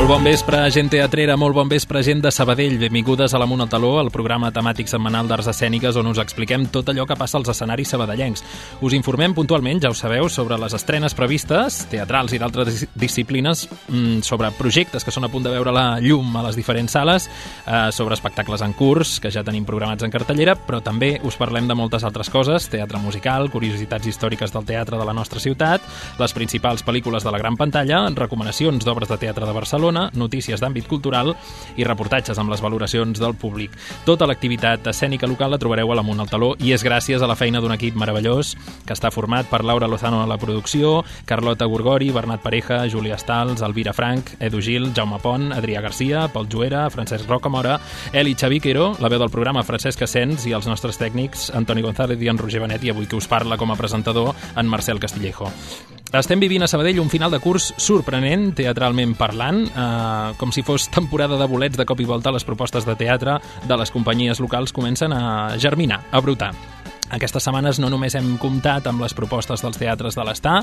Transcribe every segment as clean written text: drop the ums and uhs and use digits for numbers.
Molt bon vespre, gent teatrera, molt bon vespre, gent de Sabadell. Benvingudes a l'Amunt al Taló, el programa temàtic setmanal d'arts escèniques on us expliquem tot allò que passa als escenaris sabadellencs. Us informem puntualment, ja ho sabeu, sobre les estrenes previstes, teatrals i d'altres disciplines, sobre projectes que són a punt de veure la llum a les diferents sales, sobre espectacles en curs, que ja tenim programats en cartellera, però també us parlem de moltes altres coses, teatre musical, curiositats històriques del teatre de la nostra ciutat, les principals pel·lícules de la gran pantalla, recomanacions d'obres de teatre de Barcelona, notícies d'àmbit cultural i reportatges amb les valoracions del públic. Tota l'activitat escènica local la trobareu a l'Amunt al Taló i és gràcies a la feina d'un equip meravellós que està format per Laura Lozano a la producció, Carlota Gorgori, Bernat Pareja, Júlia Stals, Elvira Frank, Edu Gil, Jaume Pont, Adrià Garcia, Pol Juera, Francesc Rocamora, Eli Xaviquero, la veu del programa Francesc Asens i els nostres tècnics Antoni González i en Roger Benet, i avui que us parla com a presentador en Marcel Castillejo. Estem vivint a Sabadell un final de curs sorprenent, teatralment parlant, com si fos temporada de bolets. De cop i volta les propostes de teatre de les companyies locals comencen a germinar, a brotar. Aquestes setmanes no només hem comptat amb les propostes dels teatres de l'Està,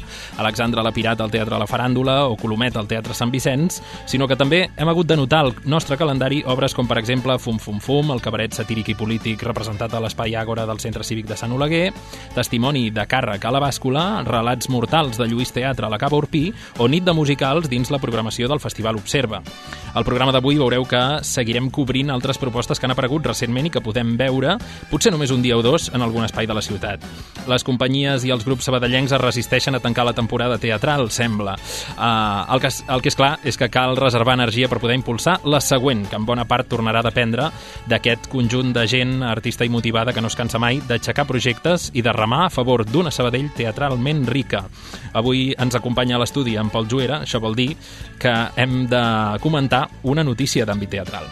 Alexandra la Pirata al Teatre La Faràndula o Colomet al Teatre Sant Vicenç, sinó que també hem hagut de notar al nostre calendari obres com, per exemple, Fum Fum Fum, el cabaret satíric i polític representat a l'Espai Àgora del Centre Cívic de Sant Oleguer, Testimoni de càrrec a la Bàscula, Relats mortals de Lluís Teatre a la Cava Orpí o Nit de musicals dins la programació del Festival Observa. Al programa d'avui veureu que seguirem cobrint altres propostes que han aparegut recentment i que podem veure, potser només un dia o dos, en algun espai de la ciutat. Les companyies i els grups sabadellencs es resisteixen a tancar la temporada teatral, sembla. El que és clar és que cal reservar energia per poder impulsar la següent, que en bona part tornarà a dependre d'aquest conjunt de gent artista i motivada que no es cansa mai d'aixecar projectes i de remar a favor d'una Sabadell teatralment rica. Avui ens acompanya a l'estudi en Pol Juera, això vol dir que hem de comentar una notícia d'àmbit teatral.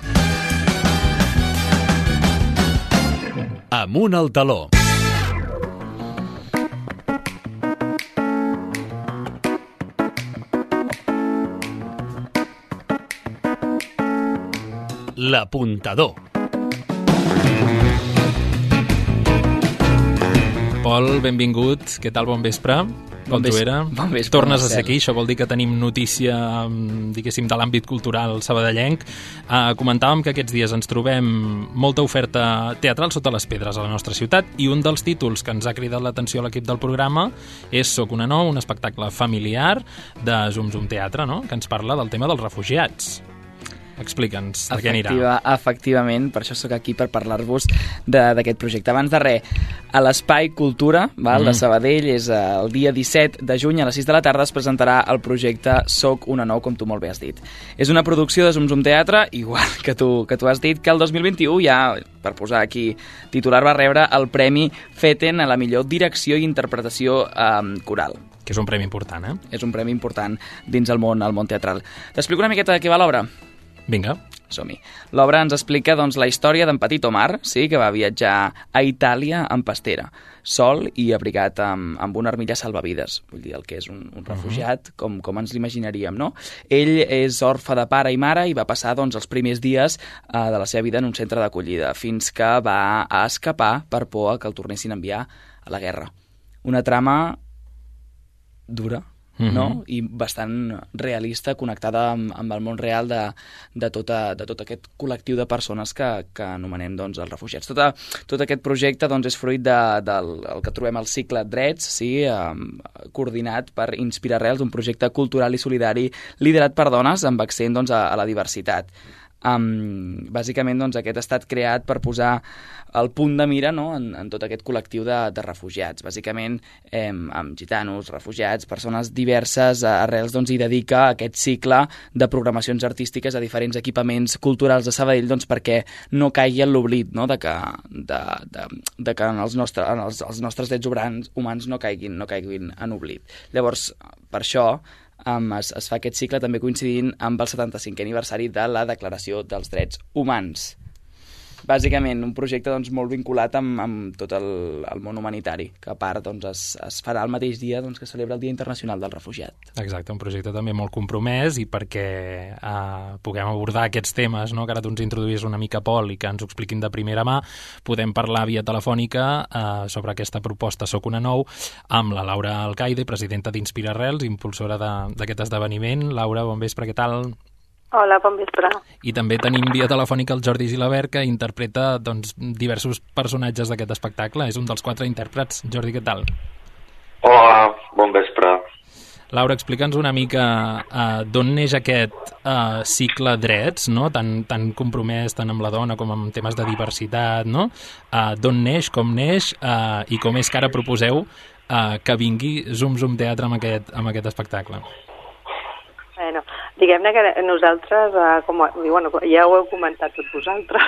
Amunt al Taló. L'Apuntador. Pol, benvingut. Què tal? Bon vespre. Bon vespre. Tornes a ser aquí, això vol dir que tenim notícia, diguéssim, de l'àmbit cultural sabadellenc. Comentàvem que aquests dies ens trobem molta oferta teatral sota les pedres a la nostra ciutat i un dels títols que ens ha cridat l'atenció a l'equip del programa és Soc una nou, un espectacle familiar de Zum Zum Teatre, no?, que ens parla del tema dels refugiats. Explica'ns, de què anirà. Efectivament, per això sóc aquí, per parlar-vos d'aquest projecte. Abans de res, a l'Espai Cultura de Sabadell, és el dia 17 de juny a les 6 de la tarda es presentarà el projecte Soc una nou, com tu molt bé has dit. És una producció de Zum Zum Teatre, igual que tu has dit, que el 2021 ja, per posar aquí titular, va rebre el Premi Feten a la millor direcció i interpretació coral. Que és un premi important, eh? És un premi important dins el món teatral. T'explico una miqueta de què va l'obra? Vinga. Som-hi. L'obra ens explica la història d'en Petit Omar, sí, que va viatjar a Itàlia en pastera, sol i abrigat amb una armilla salvavides, vull dir, el que és un refugiat, com ens l'imaginaríem, no? Ell és orfe de pare i mare i va passar els primers dies de la seva vida en un centre d'acollida, fins que va a escapar per por que el tornessin a enviar a la guerra. Una trama dura, no? I bastant realista, connectada amb el món real de tot aquest col·lectiu de persones que anomenem els refugiats. Tot aquest projecte és fruit del que trobem al cicle Drets, sí, coordinat per Inspira Arrels, un projecte cultural i solidari liderat per dones amb accent a la diversitat. Bàsicament aquest ha estat creat per posar el punt de mira, no?, en tot aquest col·lectiu de refugiats, bàsicament amb gitanos, refugiats, persones diverses. Arrels hi dedica aquest cicle de programacions artístiques a diferents equipaments culturals de Sabadell perquè no caigui en l'oblit, no?, de que els nostres drets humans no caiguin en oblit. Llavors, per això es fa aquest cicle també coincidint amb el 75è aniversari de la Declaració dels Drets Humans. Bàsicament, un projecte molt vinculat amb tot el món humanitari, que a part es farà el mateix dia que celebra el Dia Internacional del Refugiat. Exacte, un projecte també molt compromès i perquè puguem abordar aquests temes, no?, que ara tu ens introduïs una mica, Pol, i que ens ho expliquin de primera mà, podem parlar via telefònica sobre aquesta proposta Soc una nou amb la Laura Alcaide, presidenta d'Inspira Arrels, impulsora d'aquest esdeveniment. Laura, bon vespre, què tal? Hola, bon vespre. I també tenim via telefònica el Jordi Gilabert, que interpreta diversos personatges d'aquest espectacle. És un dels 4 intèrprets. Jordi, què tal? Hola, bon vespre. Laura, explica'ns una mica d'on neix aquest cicle Drets, no? tan compromès tant amb la dona com amb temes de diversitat, no? D'on neix, com neix i com és que ara proposeu que vingui Zum Zum Teatre amb aquest espectacle. Bueno, diguem-ne que nosaltres, ja ho heu comentat tots vosaltres,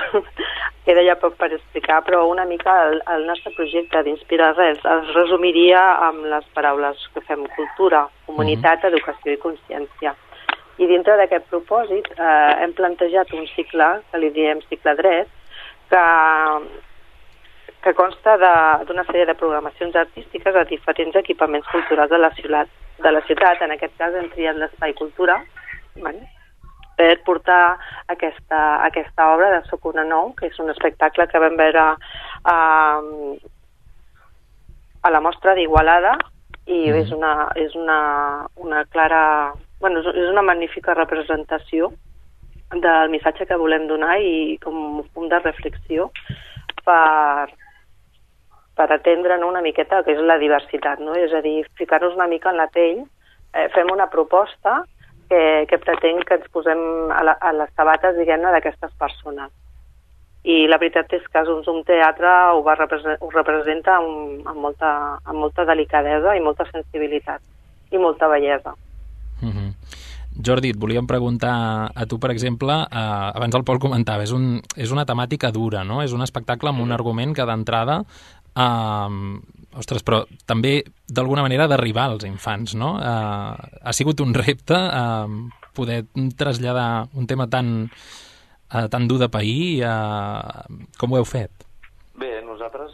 queda ja poc per explicar, però una mica el nostre projecte d'Inspirar Res es resumiria amb les paraules que fem: cultura, comunitat, educació i consciència. I dintre d'aquest propòsit hem plantejat un cicle, que li diem cicle Dret, que consta d'una sèrie de programacions artístiques a diferents equipaments culturals de la ciutat. En aquest cas hem triat l'Espai Cultura, per portar aquesta obra de Soc una nou, que és un espectacle que vam veure a la mostra d'Igualada, i és una clara... és una magnífica representació del missatge que volem donar i com un punt de reflexió per atendre una miqueta el que és la diversitat, no? És a dir, ficar-nos una mica en la pell. Fem una proposta que pretén que ens posem a les sabates, diguem-ne, d'aquestes persones. I la veritat és que Zum Teatre ho representa amb molta delicadesa i molta sensibilitat i molta bellesa. Jordi, et volíem preguntar a tu, per exemple, abans el Pol comentava, és una temàtica dura, no? És un espectacle amb un argument que d'entrada però també d'alguna manera d'arribar als infants, no? Ha sigut un repte poder traslladar un tema tan dur de pair. Com ho heu fet? Bé, nosaltres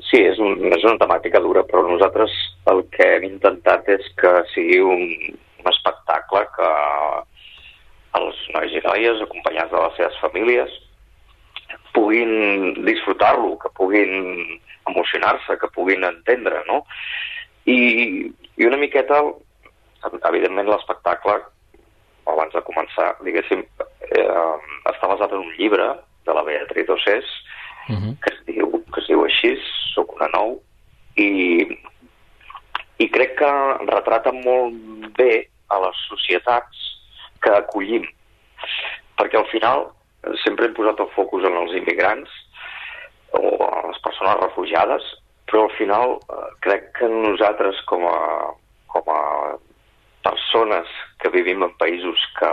sí, és una temàtica dura, però nosaltres el que hem intentat és que sigui un espectacle que els nois i noies, acompanyats de les seves famílies, puguin disfrutar-lo, que puguin emocionar-se, que puguin entendre, no? I una miqueta, evidentment, l'espectacle, abans de començar, diguéssim, està basat en un llibre de la Beatriz Ossés, que es diu així, Soc una nou, i crec que retrata molt bé a les societats que acollim, perquè al final sempre hem posat el focus en els immigrants o a les persones refugiades, però al final crec que nosaltres com a persones que vivim en països que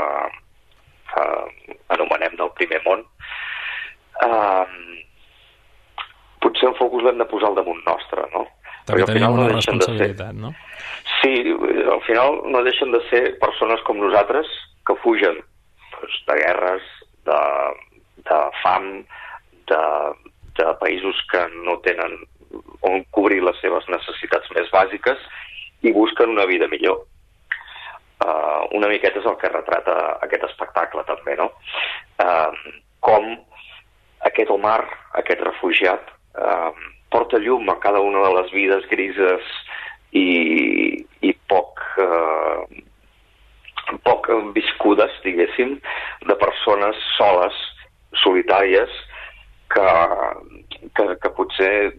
anomenem del primer món, potser el focus l'hem de posar al damunt nostre, no? També tenim una responsabilitat, no? Sí, al final no deixen de ser persones com nosaltres que fugen de guerres, de fam, de països que no tenen on cobrir les seves necessitats més bàsiques i busquen una vida millor. Una miqueta és el que retrata aquest espectacle també, no? Com aquest Omar, aquest refugiat, porta llum a cada una de les vides grises i poc viscudes, diguéssim, de persones soles, solitàries, que potser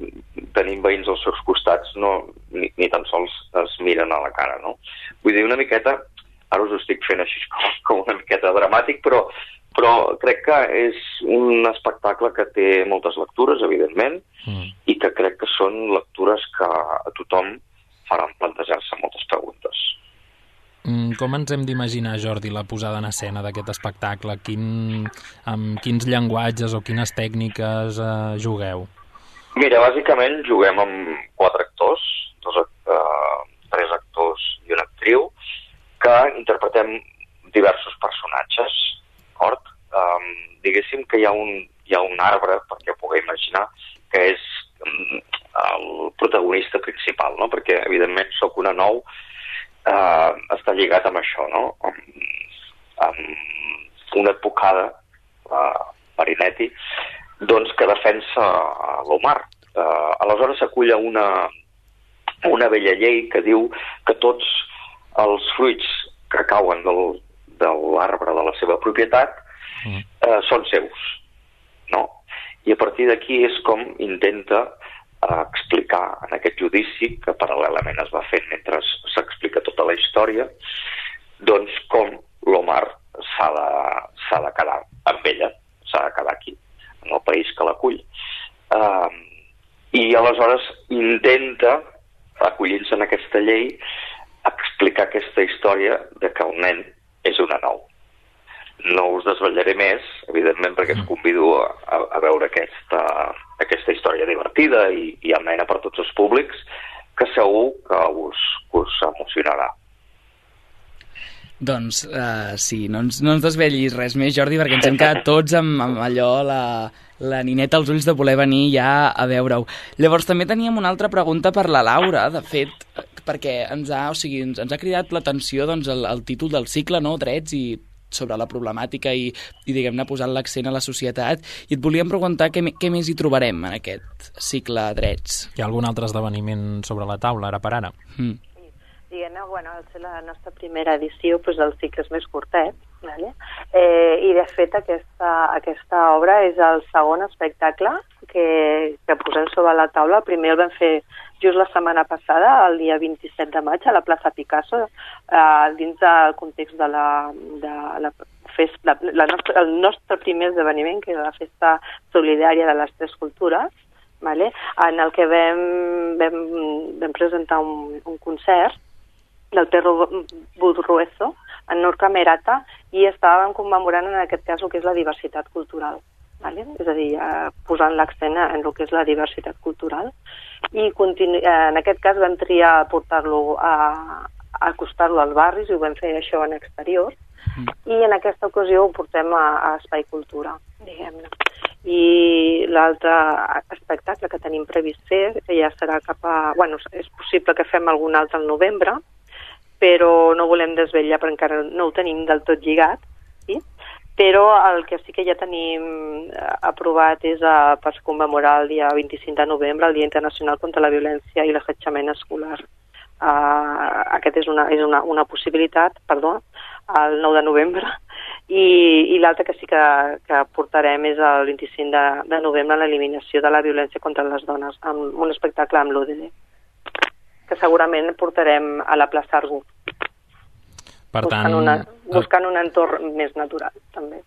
tenint veïns als seus costats ni tan sols es miren a la cara, no? Vull dir, una miqueta, ara us ho estic fent així com una miqueta dramàtic, però crec que és un espectacle que té moltes lectures, evidentment, i que crec que són lectures que a tothom faran plantejar-se moltes preguntes. Com ens hem d'imaginar, Jordi, la posada en escena d'aquest espectacle? Amb quins llenguatges o quines tècniques jugueu? Mira, bàsicament juguem amb 4 actors, 3 actors i una actriu, que interpretem diversos personatges, d'acord? Diguéssim que hi ha un arbre, perquè ho pugueu imaginar, que és el protagonista principal, no? Perquè, evidentment, Soc una nou està lligat amb això, no? Amb una advocada, Marinetti, doncs que defensa l'Omar. Aleshores s'acull a una vella llei que diu que tots els fruits que cauen de l'arbre de la seva propietat són seus, no? I a partir d'aquí és com intenta explicar en aquest judici, que paral·lelament es va fent mentre s'explica tota la història, doncs com l'Omar s'ha de quedar amb ella, s'ha de quedar aquí, en el país que l'acull. I aleshores intenta, acollint-se en aquesta llei, explicar aquesta història de que el nen és una nou. No us desvetllaré més, evidentment, perquè us convido a veure aquesta història divertida i amena per tots els públics, que segur que us emocionarà. Doncs sí, no ens desvetllis res més, Jordi, perquè ens hem quedat tots amb allò, la nineta als ulls de voler venir ja a veure-ho. Llavors també teníem una altra pregunta per la Laura, de fet, perquè ens ha cridat l'atenció doncs, el títol del cicle, no? Drets, i sobre la problemàtica i diguem-ne, posant l'accent a la societat, i et volíem preguntar què més hi trobarem en aquest cicle Drets. Hi ha algun altre esdeveniment sobre la taula, ara per ara? Diguem-ne, bueno, al ser la nostra primera edició, doncs el cicle és més curtet, vale? I de fet aquesta obra és el segon espectacle que posem sobre la taula. El primer el vam fer just la setmana passada, el dia 27 de maig, a la plaça Picasso, dins del context de la festa, el nostre primer esdeveniment, que és la festa solidària de les tres cultures, vale? En el que vam presentar un concert del Perro Budruezo, en Nur Camerata, i estàvem commemorant en aquest cas el que és la diversitat cultural. Vale? És a dir, posant l'accent en el que és la diversitat cultural. I en aquest cas vam triar portar-lo a acostar-lo als barris, i ho vam fer això en exterior, i en aquesta ocasió ho portem a Espai Cultura, diguem-ne. I l'altre espectacle que tenim previst fer, que ja serà bueno, és possible que fem algun altre al novembre, però no volem desvetllar perquè encara no ho tenim del tot lligat, sí? Però el que sí que ja tenim aprovat és per commemorar el dia 25 de novembre, el Dia Internacional contra la Violència i l'Assetjament Escolar. Aquest és una possibilitat, el 9 de novembre, i l'altre que sí que portarem és el 25 de novembre, l'eliminació de la violència contra les dones, amb un espectacle amb l'ODD, que segurament portarem a la plaça Argú. Per tant, buscant un entorn més natural, també.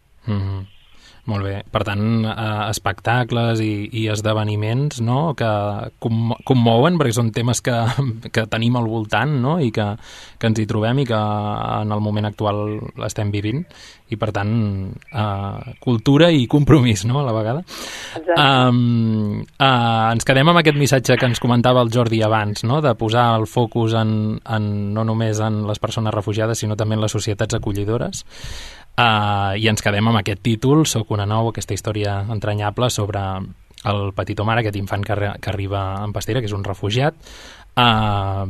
Molt bé. Per tant, espectacles i esdeveniments, no?, que commouen, perquè són temes que tenim al voltant, no?, i que ens hi trobem i que en el moment actual l'estem vivint. I, per tant, cultura i compromís, no?, a la vegada. Ens quedem amb aquest missatge que ens comentava el Jordi abans, no?, de posar el focus no només en les persones refugiades, sinó també en les societats acollidores. I ens quedem amb aquest títol, Soc una nou, aquesta història entranyable sobre el petit Omar, aquest infant que arriba en pastera, que és un refugiat.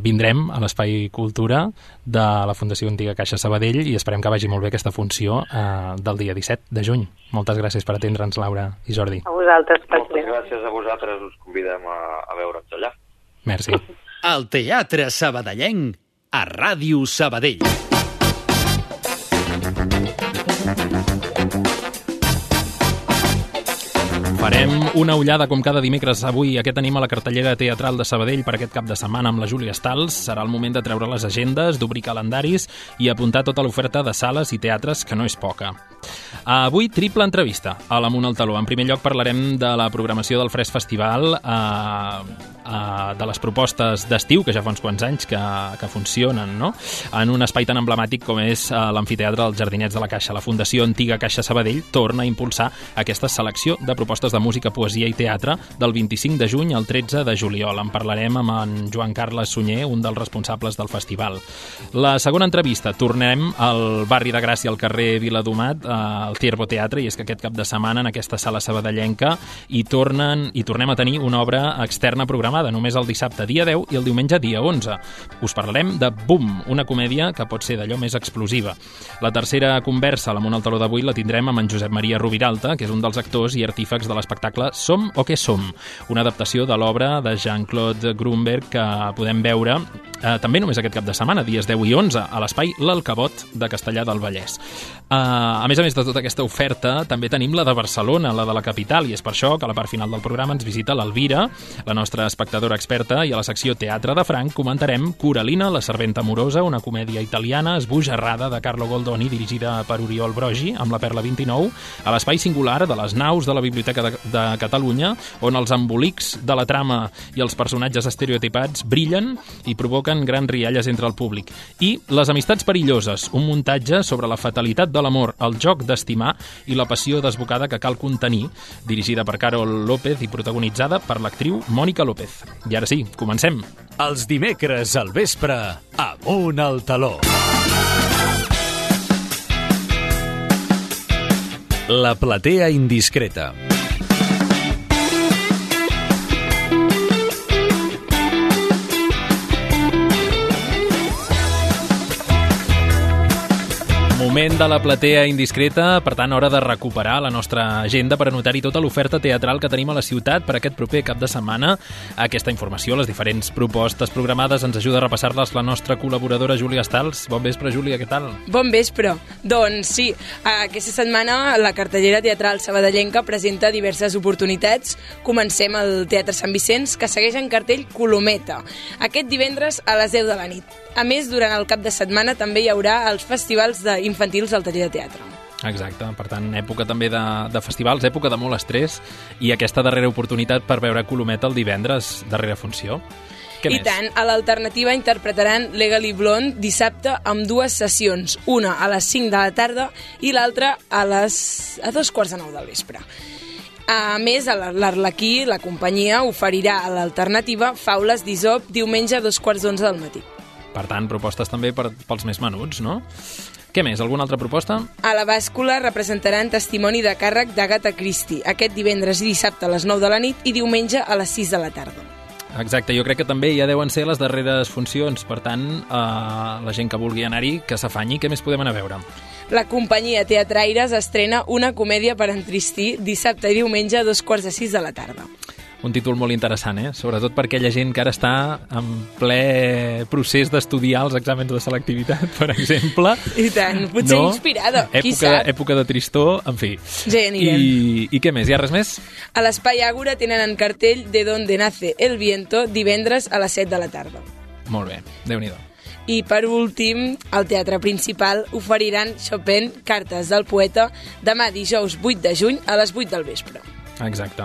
Vindrem a l'Espai Cultura de la Fundació Antiga Caixa Sabadell i esperem que vagi molt bé aquesta funció del dia 17 de juny. Moltes gràcies per atendre'ns, Laura i Jordi. A vosaltres. Moltes gràcies a vosaltres, us convidem a veure'ns allà. Merci. El Teatre Sabadellenc a Ràdio Sabadell. Farem una ullada com cada dimecres avui. Aquest tenim a la cartellera teatral de Sabadell per aquest cap de setmana amb la Júlia Stals. Serà el moment de treure les agendes, d'obrir calendaris i apuntar tota l'oferta de sales i teatres, que no és poca. Avui, triple entrevista a l'Amunt al Taló. En primer lloc parlarem de la programació del Fresc Festival, de les propostes d'estiu, que ja fa uns quants anys que funcionen, no?, en un espai tan emblemàtic com és l'Amfiteatre dels Jardinets de la Caixa. La Fundació Antiga Caixa Sabadell torna a impulsar aquesta selecció de propostes de música, poesia i teatre del 25 de juny al 13 de juliol. En parlarem amb en Joan Carles Sunyer, un dels responsables del festival. La segona entrevista, tornem al barri de Gràcia, al carrer Viladomat, al Ciervo Teatre, i és que aquest cap de setmana en aquesta sala sabadellenca hi tornem a tenir una obra externa programada. programada només el dissabte dia 10 i el diumenge dia 11. Us parlarem de Boom, una comèdia que pot ser d'allò més explosiva. La tercera conversa a l'Amunt al Taló d'avui la tindrem amb en Josep Maria Rubiralta, que és un dels actors i artífecs de l'espectacle Som o què som, una adaptació de l'obra de Jean-Claude Grunberg que podem veure també només aquest cap de setmana, dies 10 i 11, a l'espai L'Alcabot de Castellar del Vallès. A més de tota aquesta oferta, també tenim la de Barcelona, la de la capital, i és per això que a la part final del programa ens visita l'Elvira, la nostra espectadora experta, i a la secció Teatre de Franc comentarem Coralina, la serventa amorosa, una comèdia italiana esbojarrada de Carlo Goldoni, dirigida per Oriol Brogi, amb la Perla 29, a l'espai singular de les naus de la Biblioteca de Catalunya, on els embolics de la trama i els personatges estereotipats brillen i provoquen grans rialles entre el públic. I Les amistats perilloses, un muntatge sobre la fatalitat de l'amor, el joc d'estimar i la passió desbocada que cal contenir, dirigida per Carol López i protagonitzada per l'actriu Mònica López. I ara sí, comencem. Els dimecres al vespre, Amunt al Taló. La platea indiscreta. Moment de la platea indiscreta, per tant, hora de recuperar la nostra agenda per anotar-hi tota l'oferta teatral que tenim a la ciutat per aquest proper cap de setmana. Aquesta informació, les diferents propostes programades, ens ajuda a repassar-les la nostra col·laboradora Júlia Stals. Bon vespre, Júlia, què tal? Bon vespre. Doncs sí, aquesta setmana la cartellera teatral sabadellenca presenta diverses oportunitats. Comencem al Teatre Sant Vicenç, que segueix en cartell Colometa, aquest divendres a les 10 de la nit. A més, durant el cap de setmana també hi haurà els festivals infantils al taller de teatre. Exacte, per tant, època també de festivals, època de molt estrès, i aquesta darrera oportunitat per veure Colometa el divendres, darrera funció. Què més? I tant, a l'alternativa interpretaran Legally Blonde dissabte amb dues sessions, una a les 5 de la tarda i l'altra a 2:45 del vespre. A més, l'Arlequí, la companyia, oferirà a l'alternativa Faules d'Isop diumenge a 2:15 del matí. Per tant, propostes també pels més menuts, no? Què més? Alguna altra proposta? A la bàscula representaran Testimoni de càrrec d'Agatha Christie, aquest divendres i dissabte a les 9 de la nit i diumenge a les 6 de la tarda. Exacte, jo crec que també ja deuen ser les darreres funcions, per tant, la gent que vulgui anar-hi, que s'afanyi. Què més podem anar a veure? La companyia Teatraires estrena una comèdia per entristir dissabte i diumenge a 2:45 de la tarda. Un títol molt interessant, sobretot per aquella gent que ara està en ple procés d'estudiar els exàmens de selectivitat, per exemple. I tant, potser inspirada, qui sap? Època de tristor, en fi. Ja hi anirem. I què més? Hi ha res més? A l'Espai Àgora tenen en cartell De donde nace el viento divendres a les 7 de la tarda. Molt bé, Déu-n'hi-do. I per últim, al Teatre Principal oferiran Chopin, Cartes del poeta, demà dijous 8 de juny a les 8 del vespre. Exacte.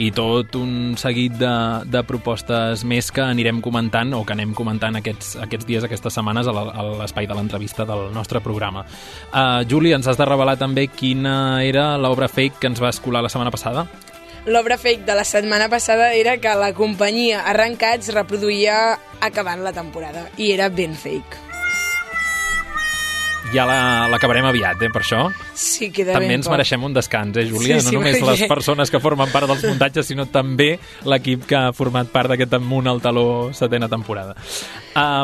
I tot un seguit de propostes més que anirem comentant o que anem comentant aquests dies, aquestes setmanes a l'espai de l'entrevista del nostre programa. Júlia, ens has de revelar també quina era l'obra fake que ens va escolar la setmana passada? L'obra fake de la setmana passada era que la companyia Arrencats reproduïa acabant la temporada i era ben fake. Ja l'acabarem aviat, per això. Sí, queda també ben ens poc. Mereixem un descans, Júlia? Sí, no només les persones que formen part dels muntatges, sinó també l'equip que ha format part d'aquest Amunt al Taló 7ª temporada.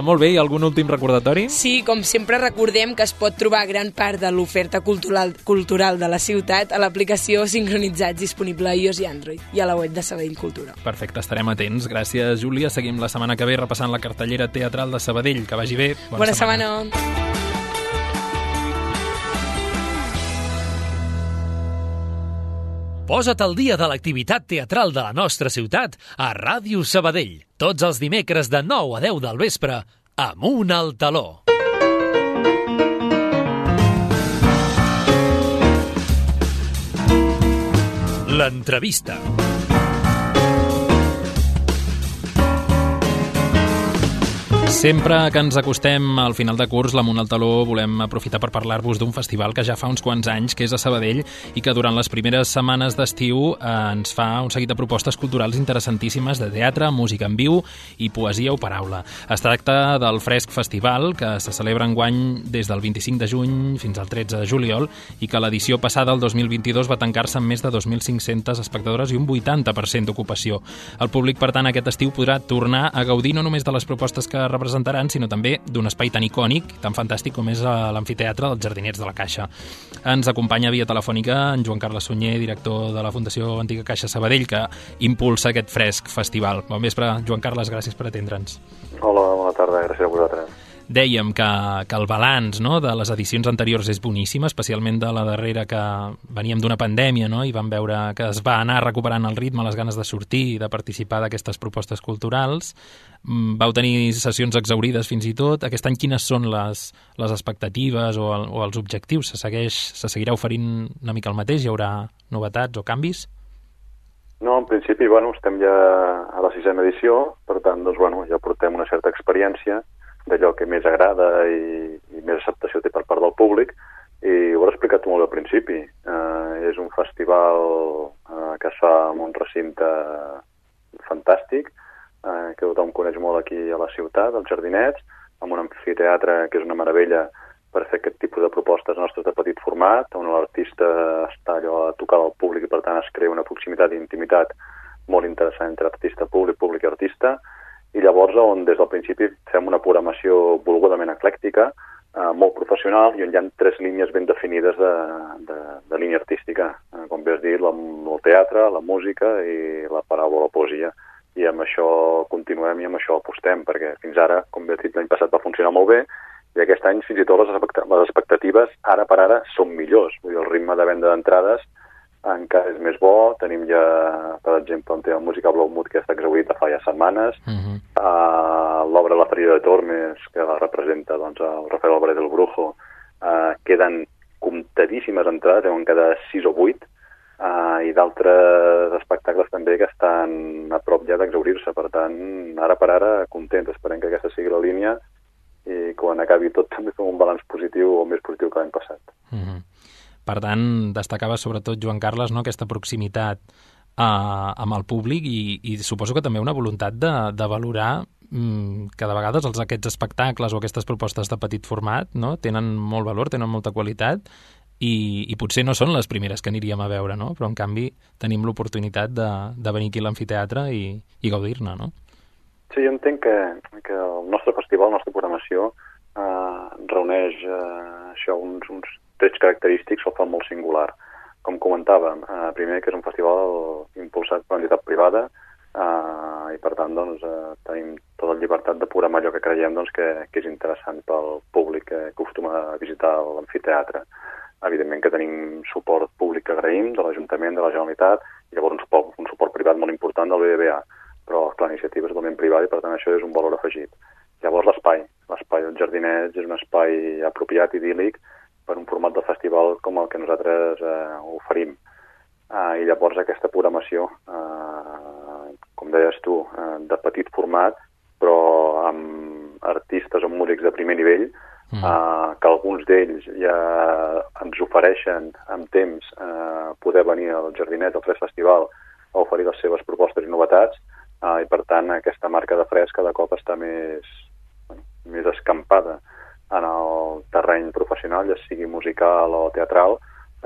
Molt bé, i algun últim recordatori? Sí, com sempre recordem que es pot trobar gran part de l'oferta cultural de la ciutat a l'aplicació Sincronitzats disponible a iOS i Android i a la web de Sabadell Cultura. Perfecte, estarem atents. Gràcies, Júlia. Seguim la setmana que ve repassant la cartellera teatral de Sabadell. Que vagi bé. Bona setmana. Posa't al dia de l'activitat teatral de la nostra ciutat a Ràdio Sabadell. Tots els dimecres de 9 a 10 del vespre, Amunt al Taló. L'entrevista. Sempre que ens acostem al final de curs, l'Amunt al Taló, volem aprofitar per parlar-vos d'un festival que ja fa uns quants anys, que és a Sabadell, i que durant les primeres setmanes d'estiu ens fa un seguit de propostes culturals interessantíssimes de teatre, música en viu i poesia o paraula. Es tracta del Fresc Festival, que se celebra enguany des del 25 de juny fins al 13 de juliol i que l'edició passada, el 2022, va tancar-se amb més de 2.500 espectadores i un 80% d'ocupació. El públic, per tant, aquest estiu podrà tornar a gaudir no només de les propostes que representaran, sinó també d'un espai tan icònic, tan fantàstic com és l'amfiteatre dels Jardinets de la Caixa. Ens acompanya via telefònica en Joan Carles Sunyer, director de la Fundació Antiga Caixa Sabadell, que impulsa aquest Fresc Festival. Bon vespre, Joan Carles, gràcies per atendre'ns. Hola, bona tarda, gràcies a vosaltres. Dèiem que el balanç, no, de les edicions anteriors és boníssim, especialment de la darrera, que veníem d'una pandèmia, no, i vam veure que es va anar recuperant el ritme, les ganes de sortir i de participar d'aquestes propostes culturals. Vau tenir sessions exaurides fins i tot. Aquest any quines són les expectatives o els objectius? Se seguirà oferint una mica el mateix? Hi haurà novetats o canvis? No, en principi, estem ja a la 6a edició, per tant, ja portem una certa experiència d'allò que més agrada i més acceptació té per part del públic, i ho he explicat molt al principi. És un festival que es fa en un recinte fantàstic, que tothom coneix molt aquí a la ciutat, als Jardinets, amb un amfiteatre que és una meravella per fer aquest tipus de propostes nostres de petit format, on l'artista està allò a tocar al públic i per tant es crea una proximitat i intimitat molt interessant entre artista públic i artista, i llavors on des del principi fem una programació volgudament eclèctica, molt professional, i on hi ha 3 línies ben definides de línia artística, com bé has dit, el teatre, la música i la paraula o la poesia. I amb això continuem i amb això apostem, perquè fins ara, com bé has dit, l'any passat va funcionar molt bé, i aquest any fins i tot les expectatives ara per ara són millors. Vull dir, el ritme de venda d'entrades encara és més bo. Tenim ja, per exemple, un tema musical Blaumut que està exhaurit de fa ja setmanes. L'obra La ferida de Tormes, que la representa el Rafael Álvarez del Brujo, queden comptadíssimes entrades, deuen quedar 6 o 8, i d'altres espectacles també que estan a prop ja d'exhaurir-se. Per tant, ara per ara, contents, esperem que aquesta sigui la línia i quan acabi tot també fem un balanç positiu o més positiu que l'any passat. Per tant, destacava sobretot, Joan Carles, no, aquesta proximitat amb el públic i suposo que també una voluntat de valorar que de vegades aquests espectacles o aquestes propostes de petit format, no, tenen molt valor, tenen molta qualitat i potser no són les primeres que aniríem a veure, no? Però en canvi tenim l'oportunitat de venir aquí a l'amfiteatre i gaudir-ne, no? Sí, jo entenc que el nostre festival, la nostra programació reuneix uns trets característics, el fa molt singular. Com comentàvem, primer que és un festival impulsat per una entitat privada i per tant tenim tota la llibertat de programar allò que creiem que és interessant pel públic que acostuma a visitar l'amfiteatre. Evidentment que tenim suport públic que agraïm de l'Ajuntament, de la Generalitat, i llavors un suport privat molt important del BBVA, però la iniciativa és totalment privada i per tant això és un valor afegit. Llavors l'espai dels Jardinets és un espai apropiat, idíl·lic, per un format de festival com el que nosaltres oferim. I llavors aquesta programació, com deies tu, de petit format, però amb artistes o músics de primer nivell, que alguns d'ells ja ens ofereixen amb temps poder venir als Jardinets, al Fresc Festival, a oferir les seves propostes i novetats, i per tant aquesta marca de Fresc cada cop està més escampada en el terreny professional, ja sigui musical o teatral,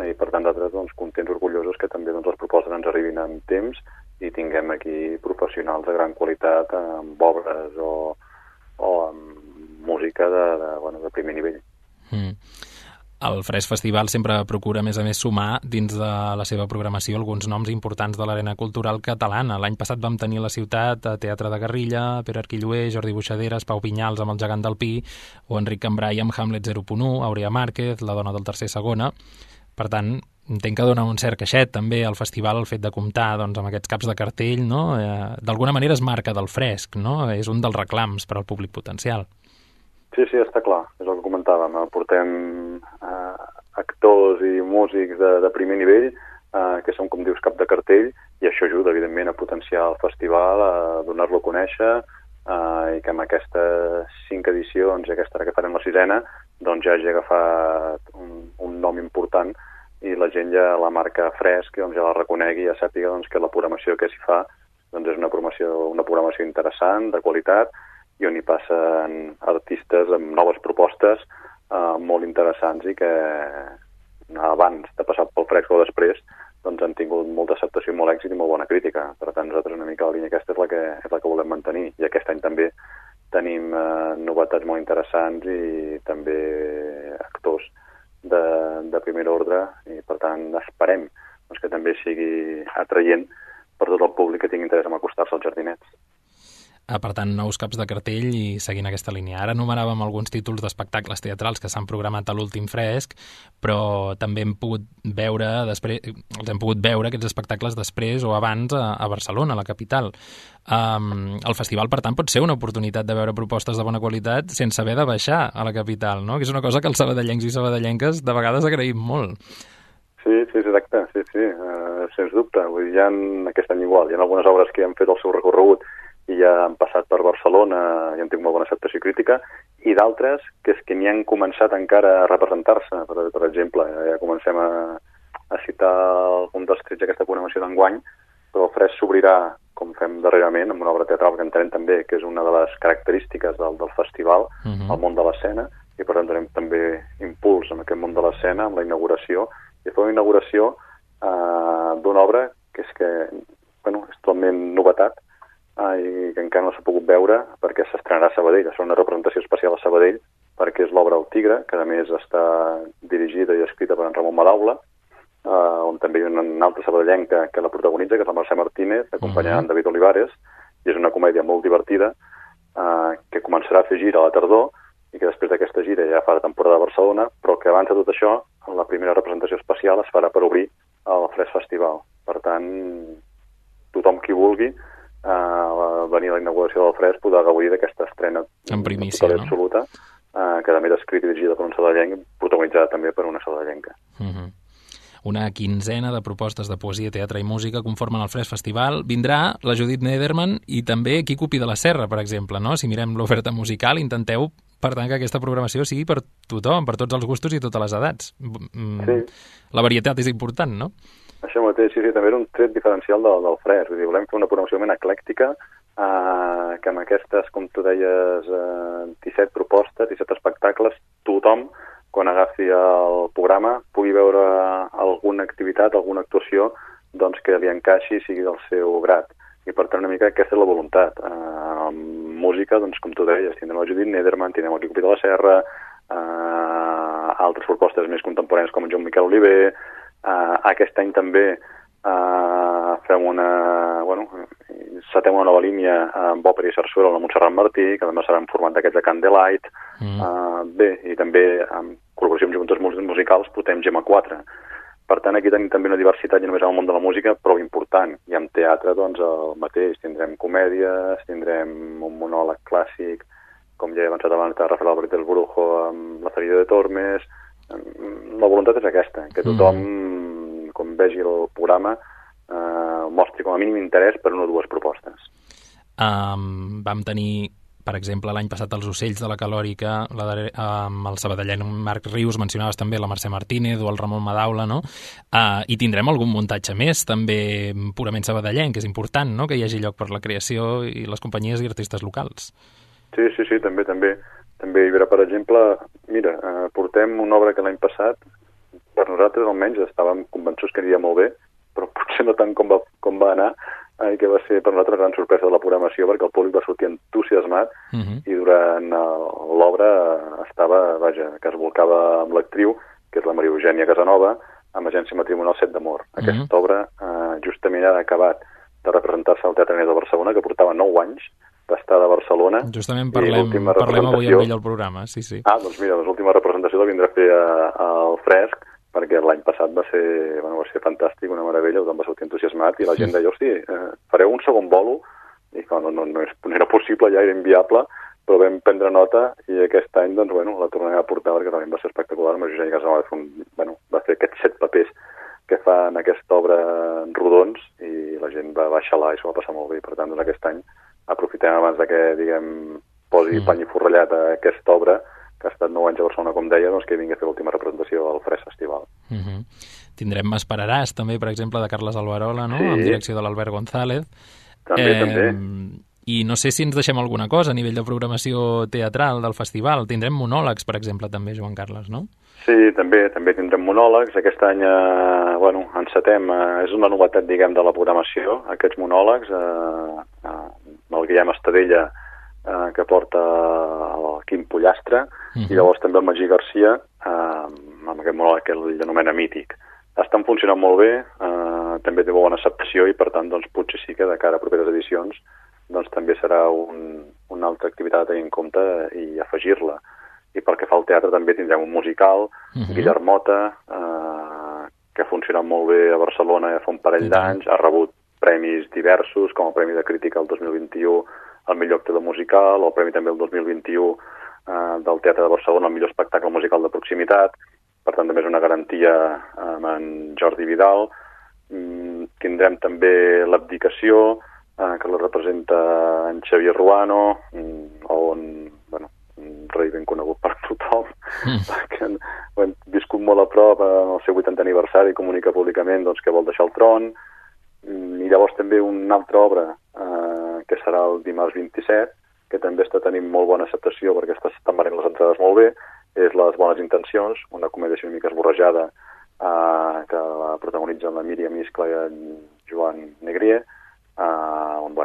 i per tant nosaltres contents, orgullosos que també les propostes ens arribin en temps i tinguem aquí professionals de gran qualitat amb obres o amb música de primer nivell. El Fresc Festival sempre procura, a més, sumar dins de la seva programació alguns noms importants de l'arena cultural catalana. L'any passat vam tenir a la ciutat Teatre de Garrilla, Pere Arquilloé, Jordi Buixaderes, Pau Vinyals amb El gegant del Pi, o Enric Cambrai amb Hamlet 0.1, Aurea Márquez, La dona del tercer segona. Per tant, entenc que dona un cert caixet també al festival el fet de comptar amb aquests caps de cartell, no? D'alguna manera es marca del Fresc, no? És un dels reclams per al públic potencial. Sí, està clar, és el que comentàvem. Portem actors i músics de primer nivell que són, com dius, cap de cartell, i això ajuda, evidentment, a potenciar el festival, a donar-lo a conèixer, i que amb aquestes 5 edicions, i aquesta ara que farem la 6ena, doncs ja hagi agafat un nom important i la gent ja la marca Fresc, doncs ja la reconegui i ja sàpiga doncs, que la programació que s'hi fa doncs és una programació interessant, de qualitat, i on hi passen artistes amb noves propostes molt interessants i que abans de passar pel Fresc o després doncs han tingut molta acceptació i molt èxit i molt bona crítica. Per tant, nosaltres una mica la línia aquesta és la que volem mantenir. I aquest any també tenim novetats molt interessants i també actors de primer ordre i, per tant, esperem doncs, que també sigui atraient per tot el públic que tingui interès en acostar-se als jardinets. Per tant, nous caps de cartell i seguint aquesta línia. Ara enumeràvem alguns títols d'espectacles teatrals que s'han programat a l'últim Fresc, però també hem pogut veure aquests espectacles després o abans a Barcelona, a la capital. El festival, per tant, pot ser una oportunitat de veure propostes de bona qualitat sense haver de baixar a la capital, no? Que és una cosa que els sabadellencs i sabadellenques de vegades agraïm molt. Sí, exacte, sí, sens dubte. Vull dir, hi ha aquest any igual, hi ha algunes obres que han fet el seu recorregut i ja han passat per Barcelona i han tingut molt bona acceptació crítica, i d'altres que és que n'hi han començat encara a representar-se. Per exemple, ja comencem a citar algun dels trets d'aquesta programació d'enguany, però el Fresc s'obrirà, com fem darrerament, amb una obra teatral que entenem també que és una de les característiques del festival, el món de l'escena, i per tant donem també impuls en aquest món de l'escena, amb la inauguració, i fer una inauguració d'una obra que és totalment novetat, i que encara no s'ha pogut veure perquè s'estrenarà a Sabadell. És una representació especial a Sabadell perquè és l'obra El Tigre, que a més està dirigida i escrita per en Ramon Madaula, on també hi ha una altra sabadellenca que la protagonitza, que és la Mercè Martínez, acompanyada en David Olivares, i és una comèdia molt divertida que començarà a fer gira a la tardor i que després d'aquesta gira ja fa la temporada a Barcelona, però que abans de tot això la primera representació especial es farà per obrir el Fresc Festival. Per tant, tothom qui vulgui venir a la inauguració del Fresc podrà gaudir d'aquesta estrena en primícia, no? Absoluta, que també és escrita i dirigida per un sabadellenc, protagonitzada també per una sabadellenca. Una quinzena de propostes de poesia, teatre i música conformen el Fresc Festival. Vindrà la Judit Nederman i també Quico Pi de la Serra, per exemple, no? Si mirem l'oferta musical, intenteu, per tant, que aquesta programació sigui per tothom, per tots els gustos i totes les edats. Sí. La varietat és important, no? Això mateix, sí, també era un tret diferencial del Fresc. Vull dir, volem fer una programació ben eclèctica, que amb aquestes, com tu deies, 17 propostes, 17 espectacles, tothom, quan agafi el programa, pugui veure alguna activitat, alguna actuació, doncs que li encaixi i sigui del seu grat. I per tant, una mica aquesta és la voluntat. Música, doncs, com tu deies, tindrem la Judit Nederman, tindrem el Quico Pi de la Serra, altres propostes més contemporànies com en Joan Miquel Oliver. Aquest any també fem setem una nova línia amb òpera i sarsuela amb la Montserrat Martí, que també serà en format d'aquests de Candlelight. I també amb col·laboració amb juntes musicals portem Gemma 4. Per tant, aquí tenim també una diversitat, ja només en el món de la música, prou important. I amb teatre, doncs, el mateix. Tindrem comèdies, tindrem un monòleg clàssic, com ja he avançat abans, de Rafael Alberto del Brujo, amb La ferida de Tormes. La voluntat és aquesta, que tothom, quan vegi el programa, mostri com a mínim interès per una o dues propostes. Vam tenir, per exemple, l'any passat els Ocells de la Calòrica, amb el sabadellenc Marc Rius, mencionaves també la Mercè Martínez o el Ramon Madaula, no? I tindrem algun muntatge més, també purament sabadellenc, que és important, no?, que hi hagi lloc per la creació i les companyies i artistes locals. Sí, també. També hi haurà, per exemple, portem una obra que l'any passat, per nosaltres almenys, estàvem convençuts que aniria molt bé, però potser no tant com va anar, i que va ser per nosaltres una gran sorpresa de la programació, perquè el públic va sortir entusiasmat i durant l'obra que es volcava amb l'actriu, que és la Maria Eugènia Casanova, amb Agència Matrimonial 7 d'Amor. Aquesta obra justament ha acabat de representar-se al Teatre Ateneu de Barcelona, que portava 9 anys d'estar de Barcelona. Justament parlem avui amb ell al programa, sí. Doncs mira, l'última representació la vindrà a fer al Fresc, perquè l'any passat va ser fantàstic, una meravella, tothom va sortir entusiasmat, i la gent deia, hosti, fareu un segon bolo? I clar, no era possible, ja era inviable, però vam prendre nota, i aquest any, doncs, la tornarem a portar, perquè realment va ser espectacular. Amb Eugènia Casanova va fer aquests 7 papers que fa en aquesta obra rodons, i la gent va baixar-la i s'ho va passar molt bé. Per tant, aquest any aprofitem abans de que, diguem, posi pany i forrellat a aquesta obra, que ha estat 9 anys a Barcelona, com deia, doncs que vingui a fer l'última representació al Fresc Festival. Tindrem M'esperaràs, també, per exemple, de Carles Alberola, no? Sí. Amb direcció de l'Albert González. També. I no sé si ens deixem alguna cosa a nivell de programació teatral del festival. Tindrem monòlegs, per exemple, també, Joan Carles, no? Sí, també tindrem monòlegs. Aquest any, encetem, és una novetat, diguem, de la programació, aquests monòlegs, el Guillem Estadella, que porta el Quim Pollastre, i llavors també el Magí Garcia, amb aquest monòleg que ell anomena mític. Estan funcionant molt bé, també té bona acceptació i, per tant, doncs, potser sí que de cara a properes edicions doncs també serà una altra activitat a tenir en compte i afegir-la. I pel que fa al teatre també tindrem un musical, Guillermota, que ha funcionat molt bé a Barcelona ja fa un parell d'anys, ha rebut premis diversos, com el Premi de Crítica el 2021 al millor actor musical, o el Premi també el 2021 del Teatre de Barcelona al millor espectacle musical de proximitat. Per tant, també és una garantia amb en Jordi Vidal. Tindrem també l'Abdicació, que la representa en Xavier Ruano, un rei ben conegut per tothom, que ho hem viscut molt a prop en el seu 80è aniversari, comunica públicament doncs, que vol deixar el tron. I llavors també una altra obra, que serà el dimarts 27, que també està tenint molt bona acceptació perquè estan venint les entrades molt bé, és Les bones intencions, una comèdia una mica esborrejada que la protagonitzen la Míriam Iscla i en Joan Negrier, on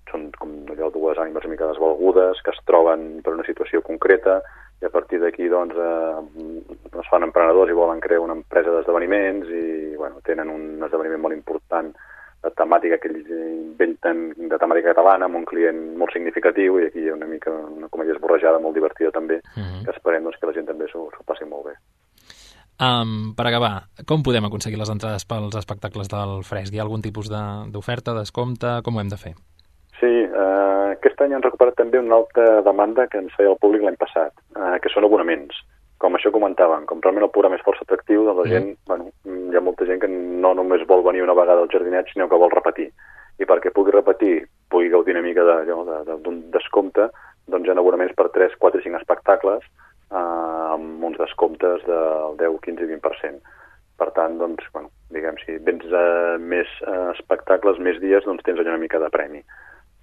són com allò dues ànimes una mica desvalgudes que es troben per una situació concreta i a partir d'aquí doncs es fan emprenedors i volen crear una empresa d'esdeveniments i tenen un esdeveniment molt important de temàtica que ells inventen de temàtica catalana amb un client molt significatiu i aquí hi ha una mica una comèdia esborrejada molt divertida també que esperem doncs, que la gent també s'ho passi molt bé. Per acabar, com podem aconseguir les entrades pels espectacles del Fresc? Hi ha algun tipus d'oferta, descompte? Com ho hem de fer? Sí, aquest any han recuperat també una altra demanda que ens feia el públic l'any passat, que són abonaments. Com això comentàvem, com realment el programa és força atractiu, doncs la gent, hi ha molta gent que no només vol venir una vegada al jardinet, sinó que vol repetir. I perquè pugui repetir, pugui gaudir una mica d'un descompte, doncs hi ha abonaments per 3, 4 i 5 espectacles, amb uns descomptes del 10, 15 i 20%. Per tant, doncs, diguem, si vens més espectacles, més dies, doncs tens allà una mica de premi.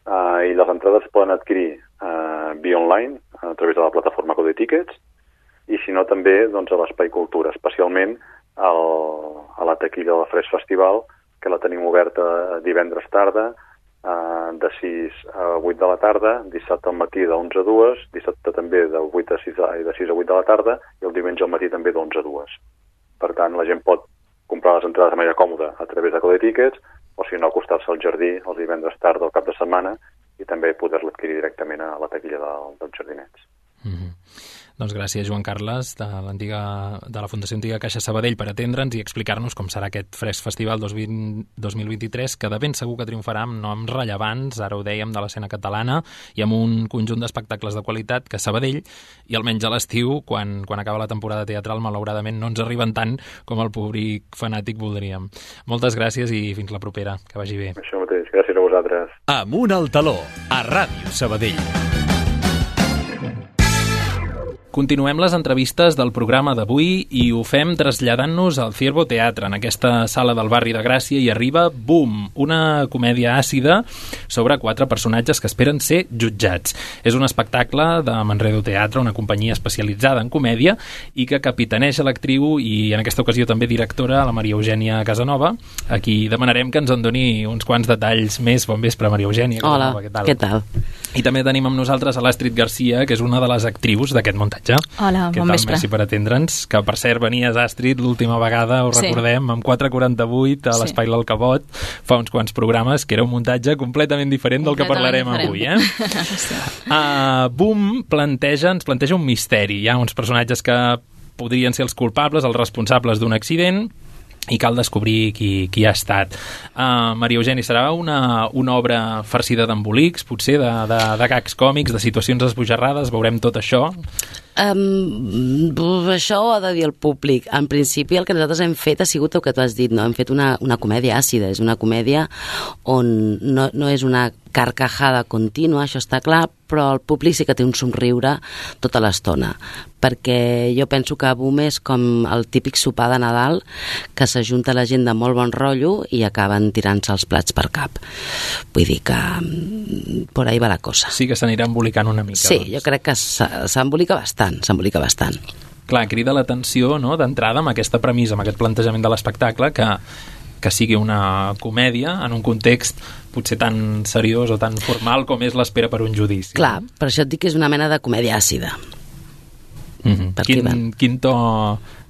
I les entrades poden adquirir via online, a través de la plataforma Code Tickets, i si no també doncs, a l'Espai Cultura, especialment a la taquilla del Fresc Festival, que la tenim oberta divendres tarda, de 6 a 8 de la tarda, dissabte al matí de 11 a 2, dissabte també de 8 a 6 de 6 a 8 de la tarda i el diumenge al matí també d'11 a 2. Per tant, la gent pot comprar les entrades de manera còmoda a través de Code Tickets o si no acostar-se al jardí els divendres tarda o cap de setmana i també poder-la adquirir directament a la taquilla dels jardinets. Doncs gràcies, Joan Carles, de la Fundació Antiga Caixa Sabadell, per atendre'ns i explicar-nos com serà aquest Fresc Festival 2023, que de ben segur que triomfarà amb noms rellevants, ara ho dèiem, de l'escena catalana, i amb un conjunt d'espectacles de qualitat que Sabadell, i almenys a l'estiu, quan acaba la temporada teatral, malauradament no ens arriben tant com el públic fanàtic voldríem. Moltes gràcies i fins la propera. Que vagi bé. Això mateix. Gràcies a vosaltres. Amunt al taló, a Ràdio Sabadell. Continuem les entrevistes del programa d'avui i ho fem traslladant-nos al Ciervo Teatre, en aquesta sala del barri de Gràcia, i arriba Boom, una comèdia àcida sobre 4 personatges que esperen ser jutjats. És un espectacle de Manredo Teatre, una companyia especialitzada en comèdia i que capitaneja l'actriu i en aquesta ocasió també directora, la Maria Eugènia Casanova, a qui demanarem que ens en doni uns quants detalls més. Bon vespre, Maria Eugènia Casanova. Hola, què tal? I també tenim amb nosaltres a l'Astrid Garcia, que és una de les actrius d'aquest muntatge. Hola, bon vespre. Merci per atendre'ns, que per cert venies, Astrid, l'última vegada, ho recordem, amb 4:48 a l'Espai L'Alcabot, fa uns quants programes, que era un muntatge completament diferent del que parlarem avui. Boom ens planteja un misteri. Hi ha uns personatges que podrien ser els culpables, els responsables d'un accident, i cal descobrir qui ha estat. Maria Eugènia, serà una obra farcida d'embolics, potser, de gags còmics, de situacions esbojarrades, veurem tot això? Això ho ha de dir el públic. En principi el que nosaltres hem fet ha sigut el que tu has dit, no? Hem fet una comèdia àcida, és una comèdia on no és una carcajada contínua, això està clar, però el públic sí que té un somriure tota l'estona, perquè jo penso que Boom és com el típic sopar de Nadal que s'ajunta la gent de molt bon rotllo i acaben tirant-se els plats per cap. Vull dir que por ahí va la cosa. Sí que s'anirà embolicant una mica. Sí, doncs. Jo crec que s'embolica bastant. Clar, crida l'atenció, no?, d'entrada amb aquesta premissa, amb aquest plantejament de l'espectacle, que sigui una comèdia en un context potser tan seriós o tan formal com és l'espera per un judici. Clar, per això et dic que és una mena de comèdia àcida. Quin to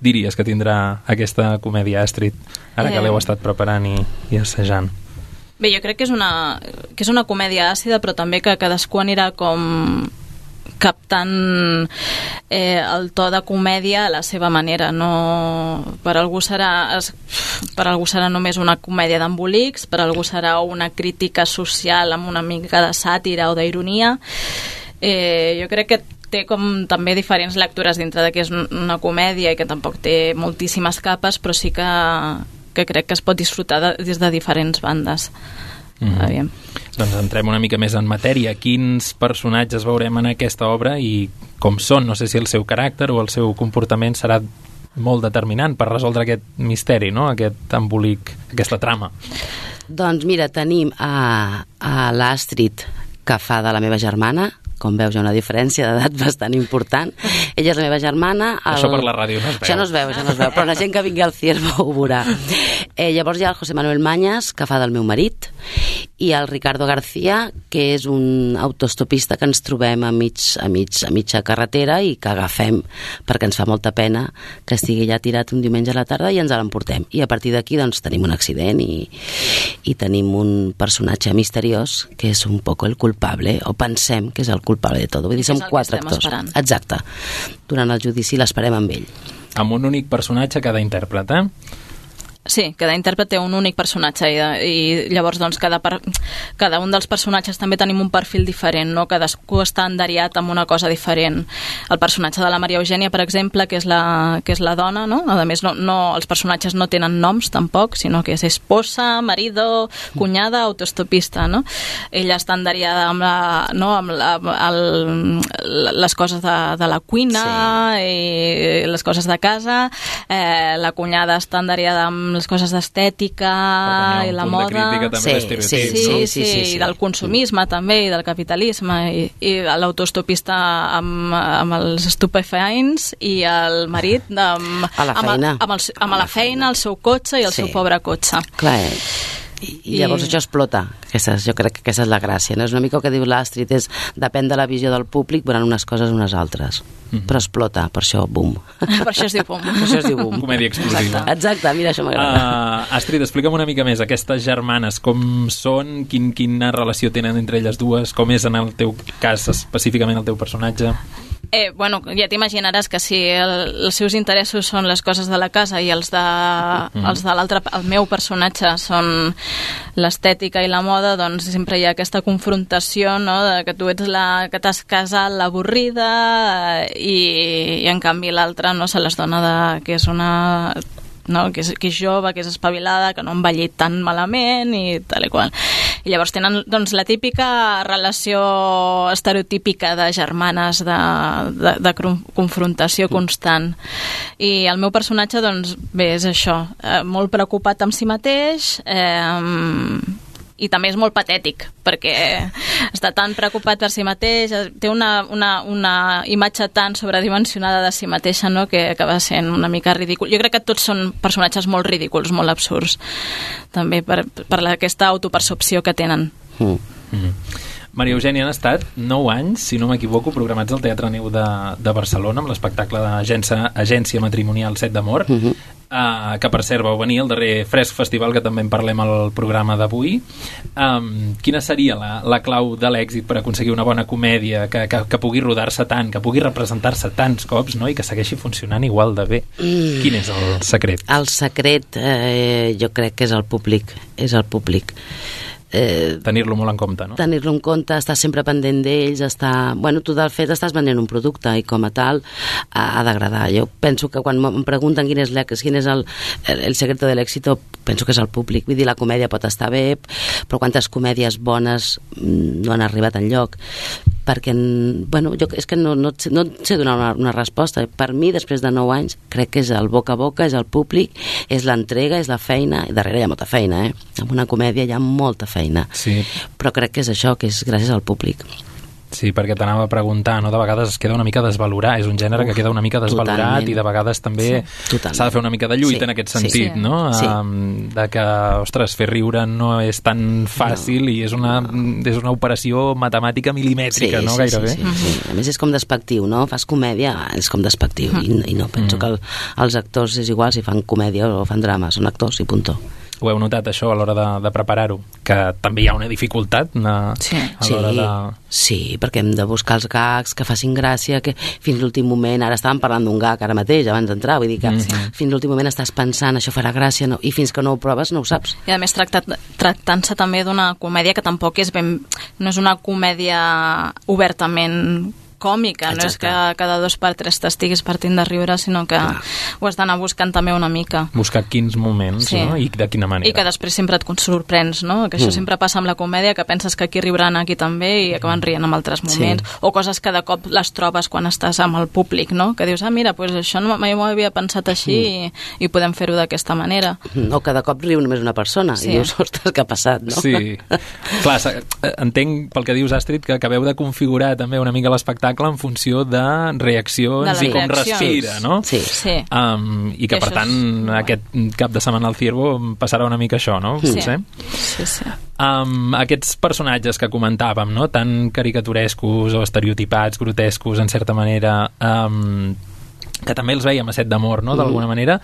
diries que tindrà aquesta comèdia, Astrid, ara que l'heu estat preparant i assajant? Bé, jo crec que és una comèdia àcida, però també que cadascú anirà com captant el to de comèdia a la seva manera. No, per algú serà només una comèdia d'embolics, per algú serà una crítica social amb una mica de sàtira o d'ironia. Jo crec que té com també diferents lectures dintre de que és una comèdia i que tampoc té moltíssimes capes, però sí que crec que es pot disfrutar des de diferents bandes. Aviam. Doncs entrem una mica més en matèria. Quins personatges veurem en aquesta obra i com són? No sé si el seu caràcter o el seu comportament serà molt determinant per resoldre aquest misteri, no?, aquest embolic, aquesta trama. Doncs mira, tenim a l'Astrid, que fa de la meva germana. Com veus, hi ha una diferència d'edat bastant important. Ella és la meva germana. Això per la ràdio no es veu. Això no es veu, però la gent que vingui al Ciervo ho veurà. Llavors hi ha el José Manuel Mañas, que fa del meu marit, i el Ricardo García, que és un autostopista que ens trobem a mitja carretera i que agafem perquè ens fa molta pena que estigui allà tirat un diumenge a la tarda i ens l'emportem. I a partir d'aquí doncs tenim un accident i tenim un personatge misteriós que és un poco el culpable, o pensem que és el culpable de tot. Vull dir, som 4 actors. Esperant. Exacte. Durant el judici l'esperem amb ell. Amb un únic personatge cada intèrpret, Sí, cada intèrpret té un únic personatge i llavors doncs cada un dels personatges també tenim un perfil diferent, no? Cadascú està enderiat amb una cosa diferent. El personatge de la Maria Eugènia, per exemple, que és la dona, no? A més, els personatges no tenen noms tampoc, sinó que és esposa, marido, cunyada, autostopista, no? Ella està enderiada amb les coses de la cuina, sí, i les coses de casa. La cunyada està enderiada amb les coses d'estètica i la moda. De crítica també d'estereotips, sí, i del consumisme també, i del capitalisme, i l'autostopista amb els estupefaents, i el marit amb la feina, el seu cotxe i el seu pobre cotxe. Clar, i llavors això explota. Jo crec que aquesta és la gràcia, no? És una mica el que diu l'Astrid, depèn de la visió del públic, veuran unes coses unes altres, però explota, per això Boom. Per això es diu Boom. Comèdia explosiva. Exacte, mira, això m'agrada. Astrid, explica'm una mica més aquestes germanes, com són, quina relació tenen entre elles dues, com és en el teu cas específicament el teu personatge? Bueno, ja t'imaginaràs que si els seus interessos són les coses de la casa i els de l'altre, el meu personatge són l'estètica i la moda, doncs sempre hi ha aquesta confrontació, no?, de que tu ets la que t'has casat, l'avorrida, i en canvi l'altra no se les dona que és una... No? Que és jove, que és espavilada, que no ha envellit tan malament i tal i qual. I llavors tenen doncs, la típica relació estereotípica de germanes de confrontació constant. I el meu personatge, doncs, bé, és això, molt preocupat amb si mateix, i també és molt patètic, perquè està tan preocupat per si mateix, té una imatge tan sobredimensionada de si mateixa, no?, que acaba sent una mica ridícul. Jo crec que tots són personatges molt ridículs, molt absurds, també per aquesta autopercepció que tenen. Maria Eugènia, han estat 9 anys, si no m'equivoco, programats al Teatre Neu de Barcelona amb l'espectacle d'Agència Matrimonial 7 d'Amor, que per cert vau venir al darrer Fresc Festival, que també en parlem al programa d'avui. Quina seria la clau de l'èxit per aconseguir una bona comèdia que pugui rodar-se tant, que pugui representar-se tants cops, no?, i que segueixi funcionant igual de bé? Quin és el secret? El secret jo crec que és el públic. tenir-lo molt en compte, no? Tenir-lo en compte, estar sempre pendent d'ells, tu del fet estàs venent un producte i com a tal ha d'agradar. Jo penso que quan em pregunten quin és el secreto de l'èxito, penso que és el públic. Vull dir, la comèdia pot estar bé, però quantes comèdies bones no han arribat enlloc? Perquè, jo és que no sé donar una resposta. Per mi, després de 9 anys, crec que és el boca a boca, és el públic, és l'entrega, és la feina, i darrere hi ha molta feina, En una comèdia hi ha molta feina. Sí. Però crec que és això, que és gràcies al públic. Sí, perquè t'anava a preguntar, no? De vegades es queda una mica desvalorat, és un gènere que queda una mica desvalorat i de vegades també s'ha de fer una mica de lluita en aquest sentit, no? Sí. De que, ostres, fer riure no és tan fàcil i és una operació matemàtica milimètrica, no? Gairebé. Sí. A més és com despectiu, no? Fas comèdia, és com despectiu i no penso que els actors és igual si fan comèdia o fan drama, són actors i puntó. Ho heu notat, això, a l'hora de preparar-ho? Que també hi ha una dificultat a l'hora de... Sí, perquè hem de buscar els gags que facin gràcia, que fins l'últim moment, ara estàvem parlant d'un gag ara mateix, abans d'entrar, vull dir que fins l'últim moment estàs pensant, això farà gràcia, no? I fins que no ho proves no ho saps. I a més tractant-se també d'una comèdia que tampoc no és una comèdia obertament còmica, no és que cada 2 per 3 t'estiguis partint de riure, sinó que ho has d'anar buscant també una mica. Buscar quins moments, no? I de quina manera. I que després sempre et sorprens, no? Que això sempre passa amb la comèdia, que penses que aquí riuran aquí també i acaben rient en altres moments. O coses que de cop les trobes quan estàs amb el públic, no? Que dius, mira, doncs això mai m'ho havia pensat així i podem fer-ho d'aquesta manera. O que de cop riu només una persona i dius, ostres, què ha passat, no? Sí. Clar, entenc pel que dius, Astrid, que acabeu de configurar també una mica l'espectacle en funció de reaccions i com respira, no? Sí. I que, per tant, aquest cap de setmana al Ciervo passarà una mica això, no? Sí. Aquests personatges que comentàvem, no? Tan caricaturescos o estereotipats, grotescos, en certa manera... que també els veiem a Set d'amor, no?, d'alguna manera,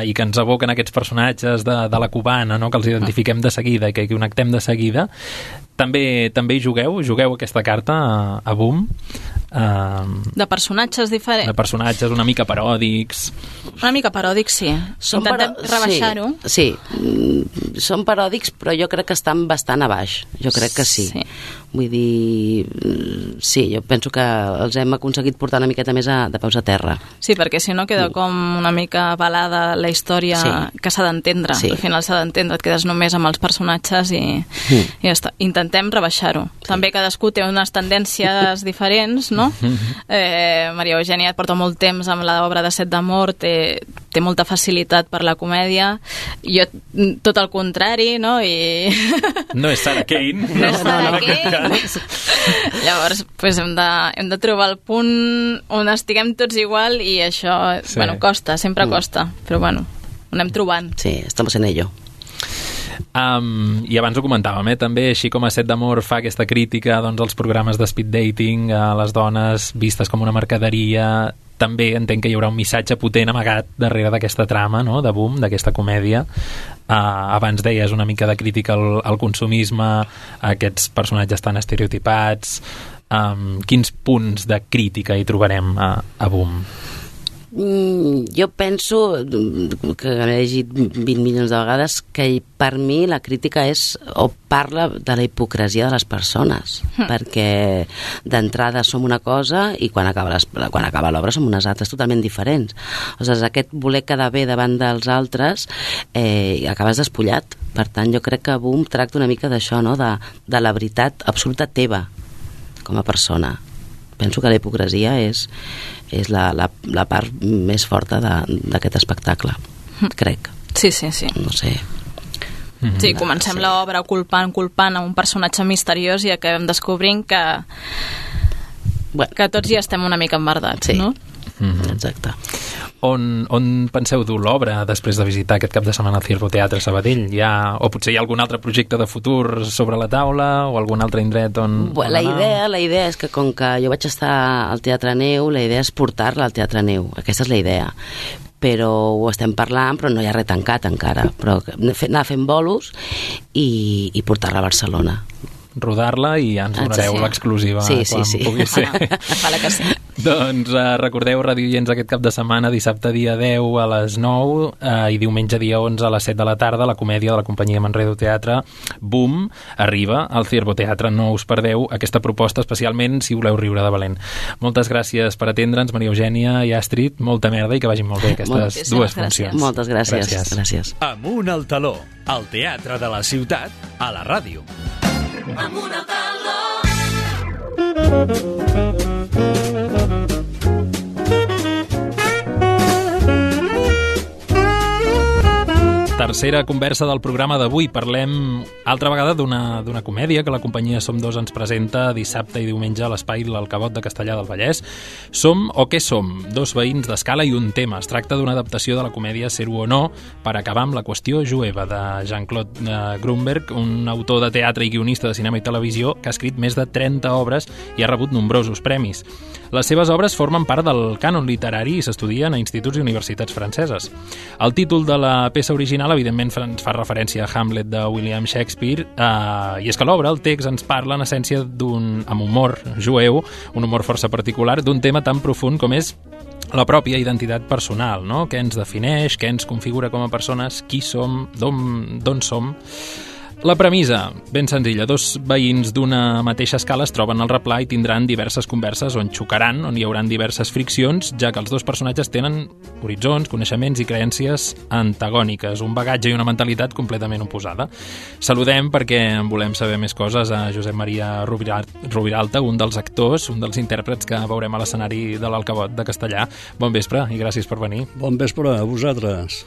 i que ens evoquen aquests personatges de la cubana, no?, que els identifiquem de seguida i que connectem de seguida. També hi jugueu aquesta carta a Boom. De personatges diferents. De personatges una mica paròdics. Una mica paròdics, sí. Intentem rebaixar-ho. Sí, són paròdics, però jo crec que estan bastant a baix. Jo crec que sí. Vull dir, sí, jo penso que els hem aconseguit portar una miqueta més de peus a terra. Sí, perquè si no queda com una mica balada la història que s'ha d'entendre. Al final s'ha d'entendre, et quedes només amb els personatges i ja està. Intentem rebaixar-ho. També cadascú té unes tendències diferents, no? Maria Eugènia et porta molt temps amb l'obra de Set d'amor, té molta facilitat per la comèdia. Jo, tot el contrari, no? No és Sarah Kane. No és Sarah Kane. Llavors, hem de trobar el punt on estiguem tots igual i això, costa, sempre costa, però ho anem trobant. Sí, estamos en ello. I abans ho comentàvem, també, així com a Set d'amor fa aquesta crítica als programes de speed dating, a les dones vistes com una mercaderia, també entenc que hi haurà un missatge potent amagat darrere d'aquesta trama, no?, de Boom, d'aquesta comèdia. Abans deies una mica de crítica al consumisme, a aquests personatges tan estereotipats. Quins punts de crítica hi trobarem a Boom? Jo penso que he llegit 20 milions de vegades que per mi la crítica és o parla de la hipocresia de les persones, perquè d'entrada som una cosa i quan acaba l'obra som unes altres totalment diferents. O sigui, aquest voler quedar bé davant dels altres acabes despullat. Per tant, jo crec que Boom tracta una mica d'això, no?, de la veritat absoluta teva com a persona. Penso que la hipocresia és la part més forta d'aquest espectacle, crec. Sí. No sé. Sí, comencem l'obra culpant a un personatge misteriós i acabem descobrint que tots ja estem una mica emmerdats, no? Exacte. On penseu dur l'obra després de visitar aquest cap de setmana al Ciervo Teatre Sabadell? O potser hi ha algun altre projecte de futur sobre la taula o algun altre indret on la idea és que com que jo vaig estar al Teatre Neu, la idea és portar-la al Teatre Neu. Aquesta és la idea. Però ho estem parlant, però no hi ha res tancat encara. Però anar fent bolos i portar-la a Barcelona. Rodar-la i ja ens donareu l'exclusiva quan pugui ser. Vale que sí. Doncs recordeu, radioients, aquest cap de setmana, dissabte dia 10 a les 9 i diumenge dia 11 a les 7 de la tarda, la comèdia de la companyia Manredo Teatre, Boom, arriba al Ciervo Teatre. No us perdeu aquesta proposta, especialment si voleu riure de valent. Moltes gràcies per atendre'ns, Maria Eugènia i Astrid. Molta merda i que vagin molt bé aquestes dues funcions. Moltes gràcies. Amunt al taló, al teatre de la ciutat, a la ràdio. Amunt al taló. Tercera conversa del programa d'avui. Parlem altra vegada d'una comèdia que la companyia Som Dos ens presenta dissabte i diumenge a l'Espai L'Alcabot de Castellar del Vallès. Som o què som? Dos veïns d'escala i un tema. Es tracta d'una adaptació de la comèdia Ser-ho o no, per acabar amb la qüestió jueva, de Jean-Claude Grunberg, un autor de teatre i guionista de cinema i televisió que ha escrit més de 30 obres i ha rebut nombrosos premis. Les seves obres formen part del cànon literari i s'estudien a instituts i universitats franceses. El títol de la peça original evidentment ens fa referència a Hamlet de William Shakespeare, i és que l'obra, el text, ens parla en essència amb humor jueu, un humor força particular, d'un tema tan profund com és la pròpia identitat personal, no? Què ens defineix, què ens configura com a persones, qui som, d'on som. La premissa, ben senzilla. Dos veïns d'una mateixa escala es troben al replà i tindran diverses converses on xocaran, on hi hauran diverses friccions, ja que els dos personatges tenen horitzons, coneixements i creences antagòniques, un bagatge i una mentalitat completament oposada. Saludem, perquè en volem saber més coses, a Josep Maria Rubiralta, un dels actors, un dels intèrprets que veurem a l'escenari de l'Alcabot de Castellar. Bon vespre i gràcies per venir. Bon vespre a vosaltres.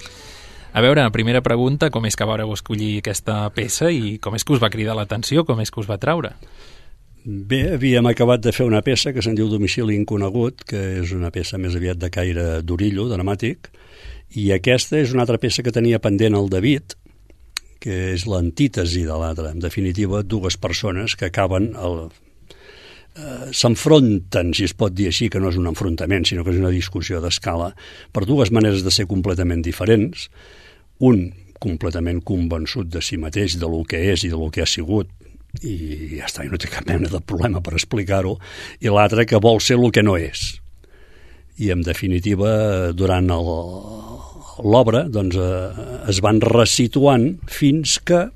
A veure, primera pregunta, com és que vareu escollir aquesta peça i com és que us va cridar l'atenció, com és que us va atraure? Bé, havíem acabat de fer una peça que se'n diu Domicili inconegut, que és una peça més aviat de caire d'orillo, dramàtic, i aquesta és una altra peça que tenia pendent el David, que és l'antítesi de l'altra. En definitiva, dues persones que acaben s'enfronten, si es pot dir així, que no és un enfrontament, sinó que és una discussió d'escala, per dues maneres de ser completament diferents. Un completament convençut de si mateix, de lo que és i de lo que ha sigut, i ja està, i no té cap mena de problema per explicar-ho, i l'altre que vol ser el que no és. I en definitiva, durant l'obra, doncs, es van resituant fins que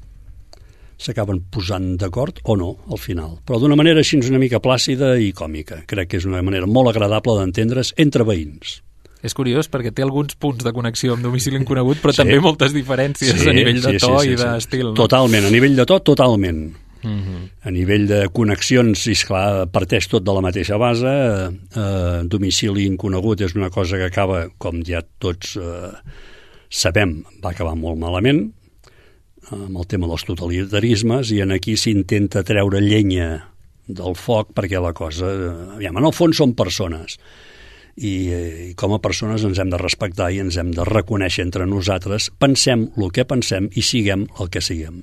s'acaben posant d'acord o no al final, però d'una manera així una mica plàcida i còmica. Crec que és una manera molt agradable d'entendre's entre veïns. És curiós perquè té alguns punts de connexió amb Domicili inconegut, però també moltes diferències a nivell de to i d'estil. No? Totalment, a nivell de to, totalment. A nivell de connexions, esclar, parteix tot de la mateixa base. Domicili inconegut és una cosa que acaba, com ja tots sabem, va acabar molt malament, amb el tema dels totalitarismes, i en aquí s'intenta treure llenya del foc perquè la cosa... Aviam, en el fons són persones, i com a persones ens hem de respectar i ens hem de reconèixer entre nosaltres, pensem el que pensem i siguem el que siguem.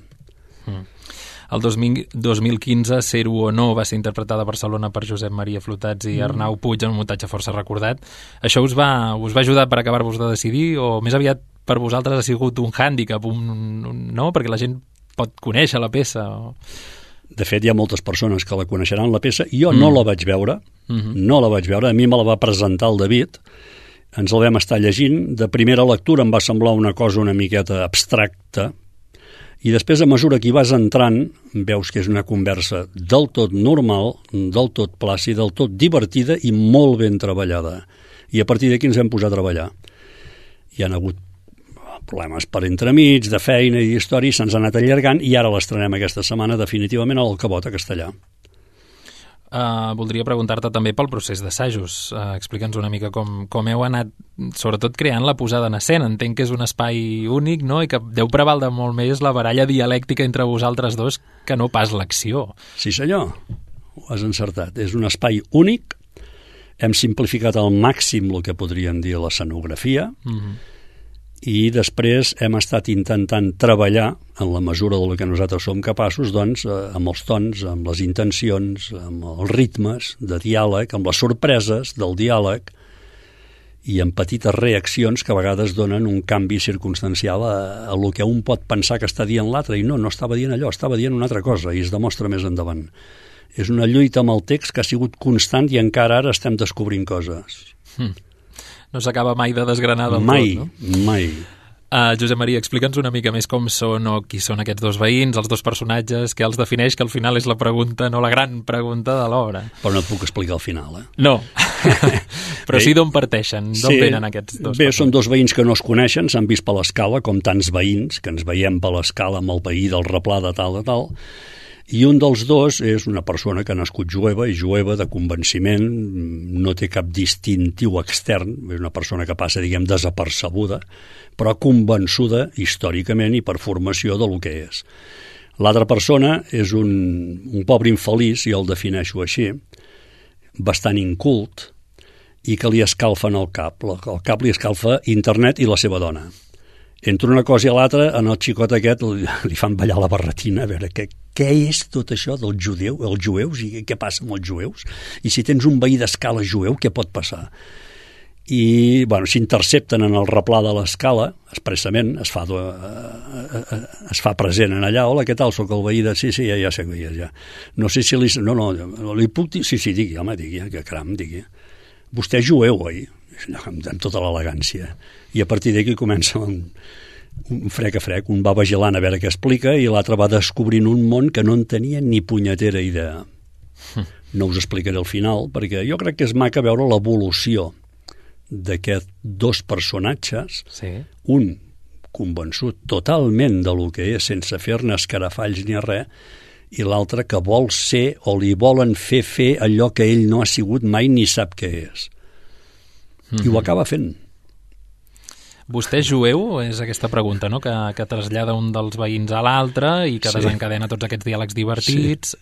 El 2015, Ser-ho o no, va ser interpretada a Barcelona per Josep Maria Flotats i Arnau Puig en un muntatge força recordat. Això us va ajudar per acabar-vos de decidir, o més aviat per vosaltres ha sigut un hàndicap, no? Perquè la gent pot conèixer la peça. De fet, hi ha moltes persones que la coneixeran, la peça. Jo no la vaig veure, no la vaig veure. A mi me la va presentar el David. Ens la vam estar llegint. De primera lectura em va semblar una cosa una miqueta abstracta, i després, a mesura que hi vas entrant, veus que és una conversa del tot normal, del tot plàcida, del tot divertida i molt ben treballada. I a partir d'aquí ens hem posat a treballar. Hi han hagut problemes per entremig, de feina i d'història, se'ns ha anat allargant, i ara l'estrenem aquesta setmana definitivament a l'Alcabot a Castellar. Voldria preguntar-te també pel procés d'assajos. Explica'ns una mica com heu anat, sobretot creant la posada en escena. Entenc que és un espai únic, no?, i que deu prevaldre molt més la baralla dialèctica entre vosaltres dos que no pas l'acció. Sí, senyor, ho has encertat. És un espai únic. Hem simplificat al màxim el que podríem dir l'escenografia, i després hem estat intentant treballar, en la mesura del que nosaltres som capaços, doncs, amb els tons, amb les intencions, amb els ritmes de diàleg, amb les sorpreses del diàleg, i amb petites reaccions que a vegades donen un canvi circumstancial a lo que un pot pensar que està dient l'altre, i no estava dient allò, estava dient una altra cosa, i es demostra més endavant. És una lluita amb el text que ha sigut constant i encara ara estem descobrint coses. No s'acaba mai de desgranar del mai, tot, no? Mai. Josep Maria, explica'ns una mica més com són o qui són aquests dos veïns, els dos personatges, què els defineix, que al final és la pregunta, no la gran pregunta de l'obra. Però no et puc explicar al final, No, però sí d'on parteixen, d'on venen aquests dos personatges? Són dos veïns que no es coneixen, s'han vist per l'escala, com tants veïns, que ens veiem per l'escala amb el veí del Replà de tal, i un dels dos és una persona que ha nascut jueva, i jueva de convenciment, no té cap distintiu extern, és una persona que passa, diguem, desapercebuda, però convençuda històricament i per formació del que és. L'altra persona és un pobre infeliç, i el defineixo així, bastant incult, i que li escalfen el cap. El cap li escalfa internet i la seva dona. Entre una cosa i l'altra, en el xicot aquest li fan ballar la barretina, a veure què és tot això dels jueus, i què passa amb els jueus? I si tens un veí d'escala jueu, què pot passar? I s'intercepten en el replà de l'escala, expressament, es fa present en allà. Hola, què tal? Soc el veí de... Sí, ja sé que ja. No sé si li... No, li puc dir... Sí, digui, home, digui, que caram, digui. Vostè és jueu, oi? Amb tota l'elegància. I a partir d'aquí comença un frec a frec, un va vigilant a veure què explica, i l'altre va descobrint un món que no en tenia ni punyetera idea. No us explicaré el final, perquè jo crec que és maca veure l'evolució d'aquests dos personatges, un convençut totalment de lo que és, sense fer-ne escarafalls ni res, i l'altre que vol ser o li volen fer allò que ell no ha sigut mai ni sap què és. I ho acaba fent. Vostè és jueu? És aquesta pregunta, no? Que trasllada un dels veïns a l'altre i que desencadena tots aquests diàlegs divertits,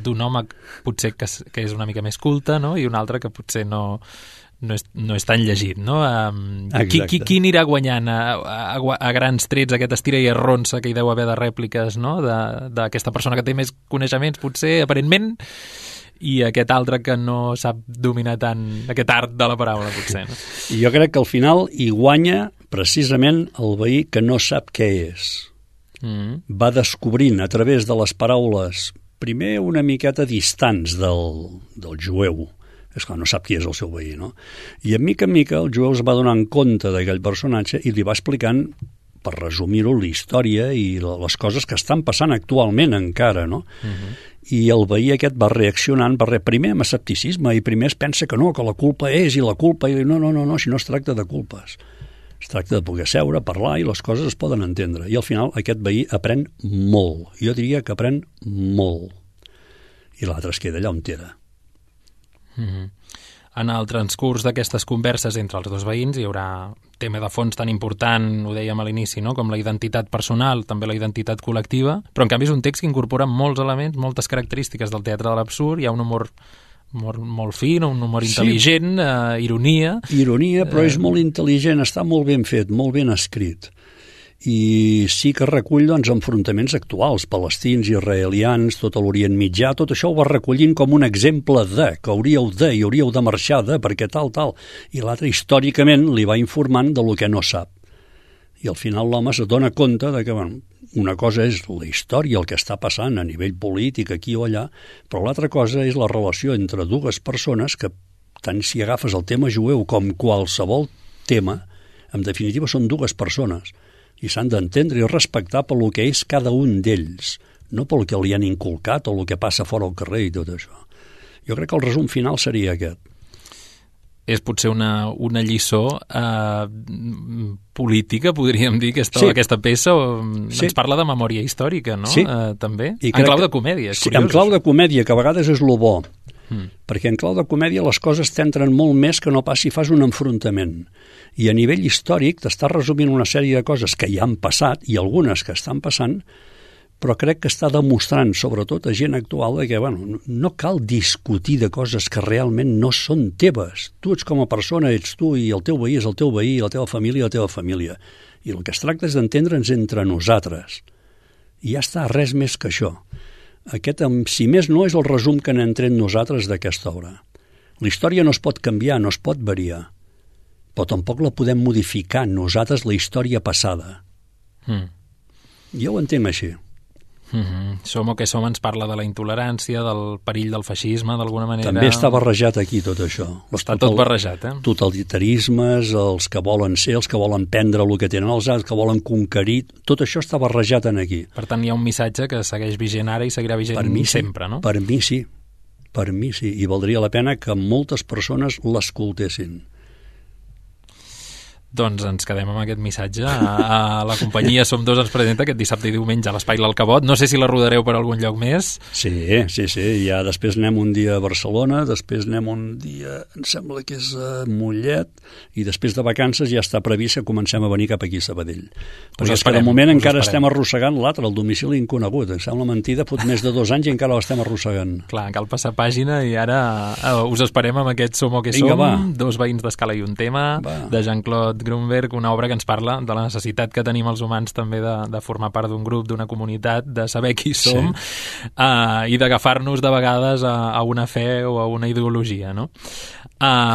d'un home potser que és una mica més culte, no? I un altre que potser no és tan llegit, no? Qui anirà guanyant a grans trets aquest estira i arronsa que hi deu haver de rèpliques, no? D'aquesta persona que té més coneixements, potser, aparentment, i aquest altre que no sap dominar tant aquest art de la paraula, potser, no? Jo crec que al final hi guanya precisament el veí que no sap què és. Va descobrint a través de les paraules, primer una miqueta distants del jueu. És clar, no sap qui és el seu veí, no? I en mica el jueu es va donant compte d'aquell personatge i li va explicant, per resumir-ho, la història i les coses que estan passant actualment encara, no? I el veí aquest va reaccionant primer amb escepticisme, i primer es pensa que no, que la culpa és, i la culpa... I no, si no es tracta de culpes. Es tracta de poder seure, parlar, i les coses es poden entendre. I al final aquest veí aprèn molt. Jo diria que aprèn molt. I l'altre es queda allà on era. En el transcurs d'aquestes converses entre els dos veïns hi haurà tema de fons tan important, ho dèiem a l'inici, no? Com la identitat personal, també la identitat col·lectiva, però en canvi és un text que incorpora molts elements, moltes característiques del teatre de l'absurd, hi ha un humor molt fi, un humor intel·ligent, ironia... Ironia, però és molt intel·ligent, està molt ben fet, molt ben escrit. I sí que recull enfrontaments actuals, palestins, israelians, tot l'Orient Mitjà, tot això ho va recollint com un exemple que hauríeu de marxar perquè tal. I l'altre històricament li va informant de lo que no sap. I al final l'home se dona compte que una cosa és la història, el que està passant a nivell polític aquí o allà, però l'altra cosa és la relació entre dues persones que, tant si agafes el tema jueu com qualsevol tema, en definitiva són dues persones, i s'han d'entendre i respectar pel que és cada un d'ells, no pel que li han inculcat o el que passa fora al carrer i tot això. Jo crec que el resum final seria aquest. És potser una lliçó política, podríem dir, aquesta peça, ens parla de memòria històrica, no? També, en clau de comèdia, és curiós. En clau de comèdia, que a vegades és lo bo, perquè en clau de comèdia les coses t'entren molt més que no pas si fas un enfrontament. I a nivell històric t'està resumint una sèrie de coses que ja han passat i algunes que estan passant, però crec que està demostrant, sobretot a gent actual, que no cal discutir de coses que realment no són teves. Tu ets com a persona, ets tu, i el teu veí és el teu veí, la teva família, la teva família. I el que es tracta és d'entendre'ns entre nosaltres. I ja està, res més que això. Aquest, si més no, és el resum que n'hem tret nosaltres d'aquesta obra. La història no es pot canviar, no es pot variar, però tampoc la podem modificar nosaltres la història passada. Jo ho entenc així. Som o que som ens parla de la intolerància, del perill del feixisme, d'alguna manera... També està barrejat aquí tot això. Està tot barrejat, Totalitarismes, els que volen ser, els que volen prendre el que tenen els altres, que volen conquerir, tot això està barrejat en aquí. Per tant, hi ha un missatge que segueix vigent ara i seguirà vigent sempre, no? Per mi sí, i valdria la pena que moltes persones l'escoltessin. Doncs ens quedem amb aquest missatge. A la companyia Som Dos ens presenta aquest dissabte i diumenge a l'Espai L'Alcabot. No sé si la rodareu per algun lloc més. Sí. Ja després anem un dia a Barcelona, després anem un dia, em sembla que és a Mollet, i després de vacances ja està previst que comencem a venir cap aquí a Sabadell. Perquè és que de moment encara estem arrossegant l'altre, el domicili inconegut. Em sembla mentida, fot més de 2 anys i encara l'estem arrossegant. Clar, cal passar pàgina i ara us esperem amb aquest Som o que som. Va. Dos veïns d'Escala i un tema, de Jean-Claude Grunberg, una obra que ens parla de la necessitat que tenim els humans també de formar part d'un grup, d'una comunitat, de saber qui som, i d'agafar-nos de vegades a una fe o a una ideologia, no?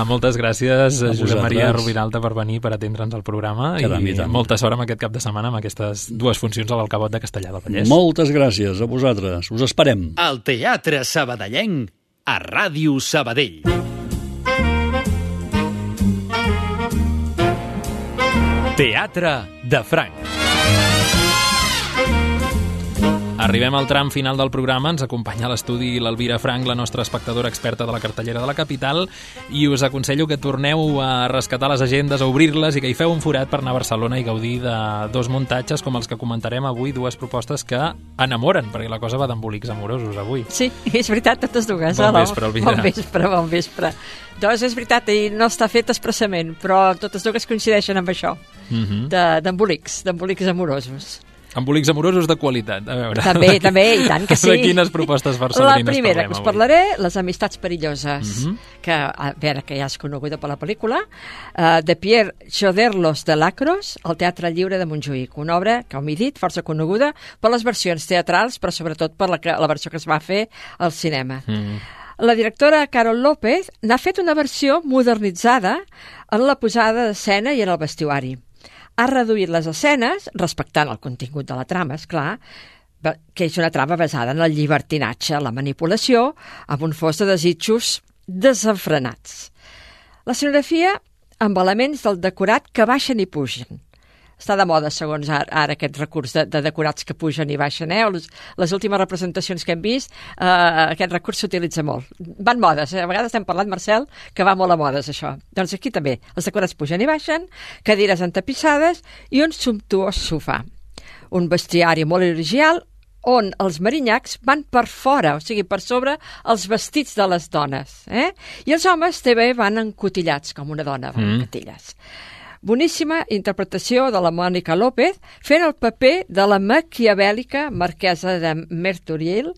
Moltes gràcies, Josep Maria Rubinalta, per venir, per atendre'ns al programa, i molta sort amb aquest cap de setmana amb aquestes 2 funcions a l'Alcabot de Castellar del Vallès. Moltes gràcies a vosaltres, us esperem. El Teatre Sabadellenc a Ràdio Sabadell. Teatre de Franc. Arribem al tram final del programa, ens acompanya a l'estudi l'Elvira Frank, la nostra espectadora experta de la cartellera de la capital, i us aconsello que torneu a rescatar les agendes, a obrir-les i que hi feu un forat per anar a Barcelona i gaudir de 2 muntatges com els que comentarem avui, 2 propostes que enamoren, perquè la cosa va d'embolics amorosos avui. Sí, és veritat, totes dues. Bon vespre, Elvira. Bon vespre. Doncs és veritat, i no està fet expressament, però totes dues coincideixen amb això, d'embolics amorosos. Embolics amorosos de qualitat, a veure. També, i tant que sí. De quines propostes barcelonines parlem avui? La primera que us parlaré, Les amistats perilloses, que, a veure, que ja és coneguda per la pel·lícula, de Pierre Choderlos de Lacros, al Teatre Lliure de Montjuïc, una obra, com he dit, força coneguda per les versions teatrals, però sobretot per la versió que es va fer al cinema. La directora Carol López n'ha fet una versió modernitzada en la posada d'escena i en el vestuari. Ha reduït les escenes, respectant el contingut de la trama, esclar, que és una trama basada en el llibertinatge, la manipulació, amb un fos de desitjos desenfrenats. La escenografia amb elements del decorat que baixen i pugen. Està de moda, segons ara aquest recurs de decorats que pugen i baixen. Les últimes representacions que hem vist, aquest recurs s'utilitza molt. Van modes, a vegades hem parlat, Marcel, que va molt a modes, això. Doncs aquí també, els decorats pugen i baixen, cadires entapissades i un sumptuós sofà. Un bestiari molt original on els marinyacs van per fora, o sigui, per sobre els vestits de les dones. I els homes també van encotillats, com una dona, van en cotilles. Boníssima interpretació de la Mònica López fent el paper de la maquiavèlica marquesa de Mertoriel,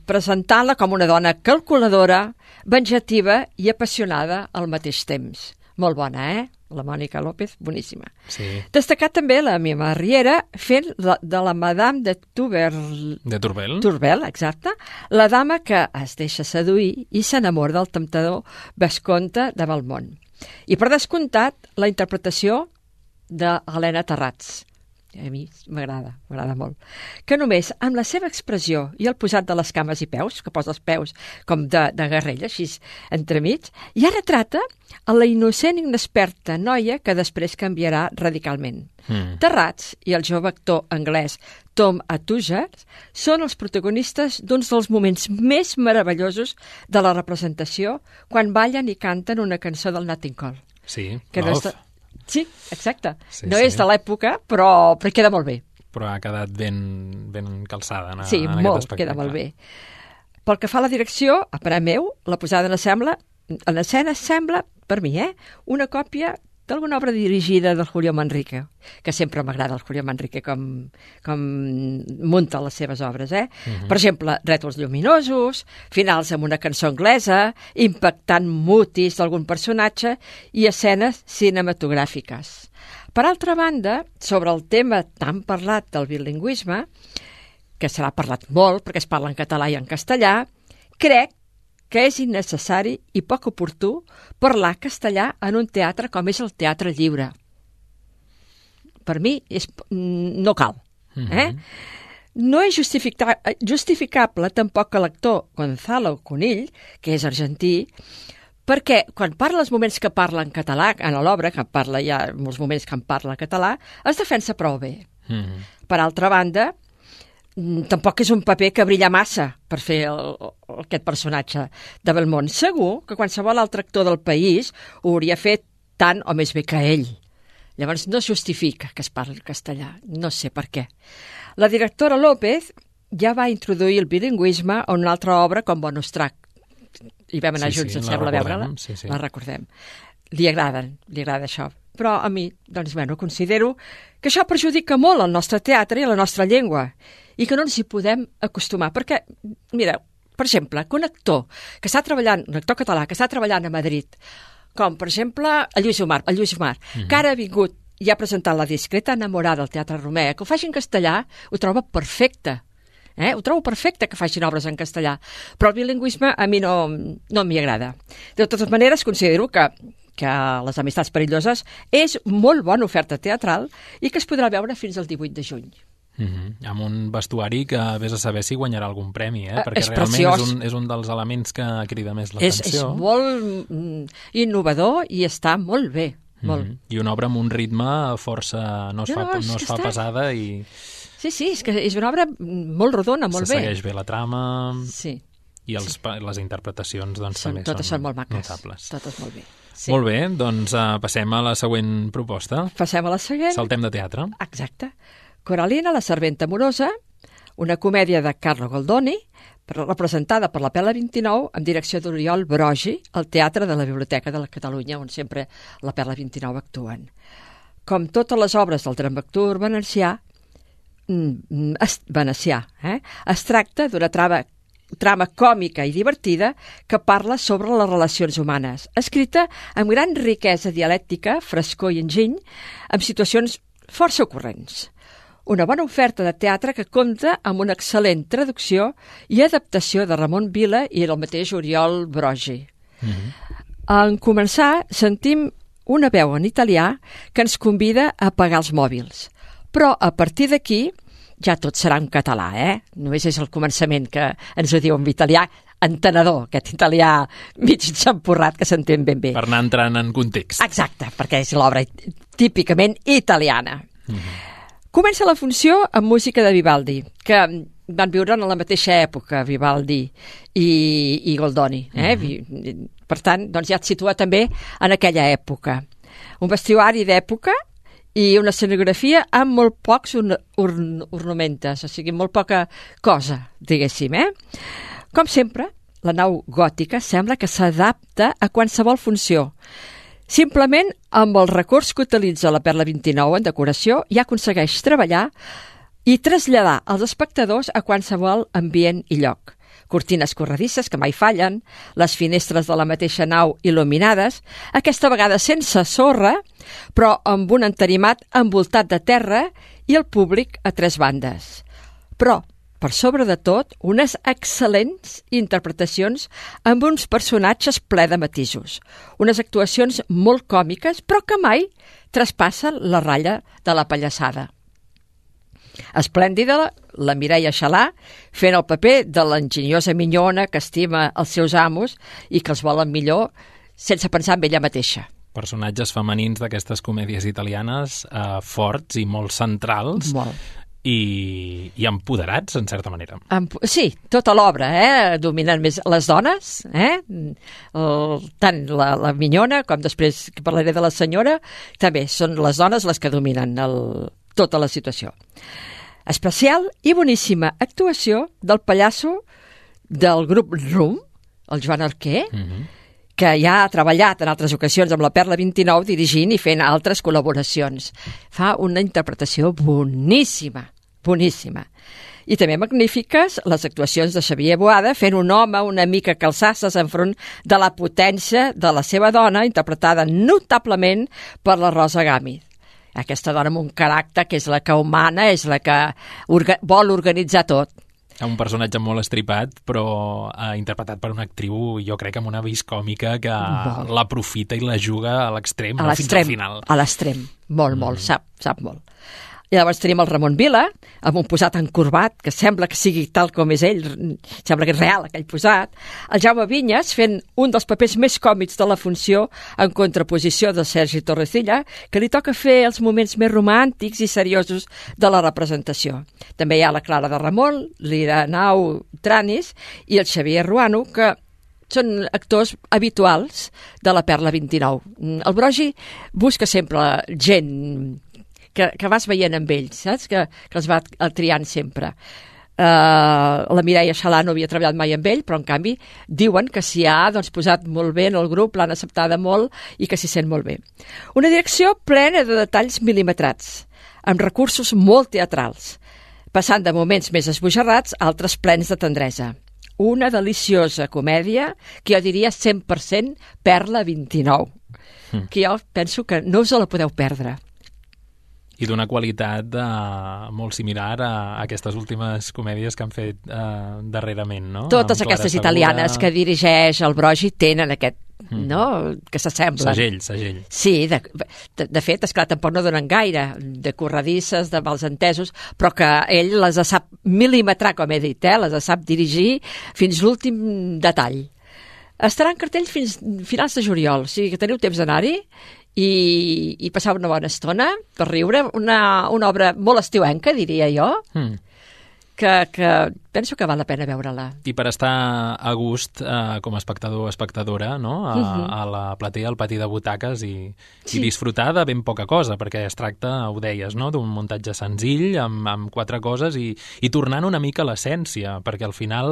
presentant-la com una dona calculadora, venjativa i apassionada al mateix temps. Molt bona, La Mònica López, boníssima. Sí. Destacat també la Mima Riera fent de la Madame de Turbel. De Turbel? Turbel, exacte. La dama que es deixa seduir i s'enamora del temptador vescomte de Belmont. I per descomptat, la interpretació d'Helena Terrats. A mi m'agrada molt. Que només amb la seva expressió i el posat de les cames i peus, que posa els peus com de guerrella, així entremig, ja retrata a la innocent i inexperta noia que després canviarà radicalment. Terrats i el jove actor anglès Tom Atuger són els protagonistes d'uns dels moments més meravellosos de la representació quan ballen i canten una cançó del Nat King Cole. Sí, Sí, exacte. No és de l'època, però queda molt bé. Però ha quedat ben calçada en aquest espectacle. Sí, molt, queda molt bé. Pel que fa a la direcció, a parer meu, la posada en escena sembla, per mi, una còpia d'alguna obra dirigida del Julio Manrique, que sempre m'agrada el Julio Manrique com munta les seves obres. Per exemple, rètols lluminosos, finals amb una cançó anglesa, impactant mutis d'algun personatge i escenes cinematogràfiques. Per altra banda, sobre el tema tan parlat del bilingüisme, que serà parlat molt perquè es parla en català i en castellà, crec que és innecessari i poc oportú parlar castellà en un teatre com és el Teatre Lliure. Per mi no cal. No és justificable tampoc que l'actor Gonzalo Conill, que és argentí, perquè quan parla els moments que parla en català, en l'obra, que parla ja molts moments que en parla català, es defensa prou bé. Per altra banda, tampoc és un paper que brilla massa per fer aquest personatge de Belmont. Segur que qualsevol altre actor del país ho hauria fet tant o més bé que ell. Llavors no es justifica que es parli castellà, no sé per què. La directora López ja va introduir el bilingüisme a una altra obra com Bonus Track. I vam anar junts, em sembla, a veure-la. La recordem. Li agrada això. Però a mi, doncs, considero que això perjudica molt el nostre teatre i la nostra llengua i que no ens hi podem acostumar. Perquè, mireu, per exemple, que un actor català que està treballant a Madrid, com, per exemple, el Lluís Omar, que ara ha vingut i ha presentat La discreta enamorada al Teatre Romea, que ho faci en castellà, ho troba perfecte. Ho trobo perfecte que facin obres en castellà, però el bilingüisme a mi no m'hi agrada. De totes maneres, considero que Les amistats perilloses és molt bona oferta teatral i que es podrà veure fins al 18 de juny. Amb un vestuari que vés a saber si guanyarà algun premi, perquè és realment preciós. És un dels elements que crida més l'atenció. És molt innovador i està molt bé. Molt. I una obra amb un ritme força... no es fa pesada i... Sí, és que és una obra molt rodona, molt bé. Se segueix bé la trama... Sí. I les interpretacions doncs, també són molt maques. Notables. Totes molt bé. Sí. Molt bé, doncs passem a la següent proposta. Passem a la següent. Saltem de teatre. Exacte. Coralina, la serventa amorosa, una comèdia de Carlo Goldoni, representada per la Pela 29, amb direcció d'Oriol Brogi, al Teatre de la Biblioteca de la Catalunya, on sempre la Pela 29 actuen. Com totes les obres del dramaturg venecià, es tracta d'una trama còmica i divertida que parla sobre les relacions humanes, escrita amb gran riquesa dialèctica, frescor i enginy, amb situacions força ocorrents. Una bona oferta de teatre que compta amb una excel·lent traducció i adaptació de Ramon Vila i del mateix Oriol Brogi. En començar, sentim una veu en italià que ens convida a apagar els mòbils. Però a partir d'aquí ja tot serà en català, Només és el començament que ens ho diu en italià, entenedor, aquest italià mig xampurrat que s'entén ben bé. Per anar entrant en context. Exacte, perquè és l'obra típicament italiana. Comença la funció amb música de Vivaldi, que van viure en la mateixa època, Vivaldi i Goldoni. Per tant, doncs ja et situa també en aquella època. Un vestuari d'època i una escenografia amb molt pocs ornamentes, o sigui, molt poca cosa, diguéssim. Com sempre, la nau gòtica sembla que s'adapta a qualsevol funció. Simplement, amb el recurs que utilitza la Perla 29 en decoració, ja aconsegueix treballar i traslladar els espectadors a qualsevol ambient i lloc. Cortines corredisses que mai fallen, les finestres de la mateixa nau il·luminades, aquesta vegada sense sorra, però amb un entenimat envoltat de terra i el públic a tres bandes. Però, per sobre de tot, unes excel·lents interpretacions amb uns personatges ple de matisos. Unes actuacions molt còmiques, però que mai traspassen la ratlla de la pallassada. Esplèndida, la Mireia Xalà, fent el paper de l'enginyosa minyona que estima els seus amos i que els volen millor sense pensar en ella mateixa. Personatges femenins d'aquestes comèdies italianes forts i molt centrals. Molt. I empoderats, en certa manera. Sí, tota l'obra, dominen més les dones, tant la minyona com després que parlaré de la senyora, també són les dones les que dominen tota la situació. Especial i boníssima actuació del pallasso del grup RUM, el Joan Arquer, que ja ha treballat en altres ocasions amb la Perla 29 dirigint i fent altres col·laboracions. Fa una interpretació boníssima, boníssima. I també magnífiques les actuacions de Xavier Boada fent un home una mica calçasses enfront de la potència de la seva dona, interpretada notablement per la Rosa Gámez. Aquesta dona amb un caràcter que és la que humana, és la que vol organitzar tot. Un personatge molt estripat, però interpretat per una actriu, jo crec, amb una vis còmica que l'aprofita i la juga a l'extrem, fins al final. A l'extrem, molt, sap molt. I llavors tenim el Ramon Vila, amb un posat encorbat, que sembla que sigui tal com és ell, sembla que és real aquell posat. El Jaume Vinyes, fent un dels papers més còmics de la funció, en contraposició de Sergi Torrecilla, que li toca fer els moments més romàntics i seriosos de la representació. També hi ha la Clara de Ramon, l'Irenau Tranis i el Xavier Ruano, que són actors habituals de la Perla 29. El Brogi busca sempre gent que vas veient amb ells, saps? Que els va triant sempre. La Mireia Xalà no havia treballat mai amb ell, però en canvi diuen que s'hi ha posat molt bé en el grup, l'han acceptada molt i que s'hi sent molt bé. Una direcció plena de detalls mil·limetrats, amb recursos molt teatrals, passant de moments més esbojarrats a altres plens de tendresa. Una deliciosa comèdia que jo diria 100% Perla 29, que jo penso que no us la podeu perdre. I d'una qualitat molt similar a aquestes últimes comèdies que han fet darrerament, no? Totes aquestes italianes que dirigeix el Brogi tenen aquest, no?, que s'assemblen. Segell. Sí, de fet, esclar, tampoc no donen gaire, de corredisses, de malentesos, però que ell les sap mil·limetrar, com he dit, les sap dirigir fins l'últim detall. Estarà en cartell fins finals de juliol, o sigui que teniu temps d'anar-hi i passar una bona estona per riure, una obra molt estiuenca, diria jo, que penso que val la pena veure-la. I per estar a gust com a espectador o espectadora, no? A la platea, al pati de butaques i disfrutar de ben poca cosa, perquè es tracta, ho deies, no?, d'un muntatge senzill amb 4 coses i tornant una mica a l'essència, perquè al final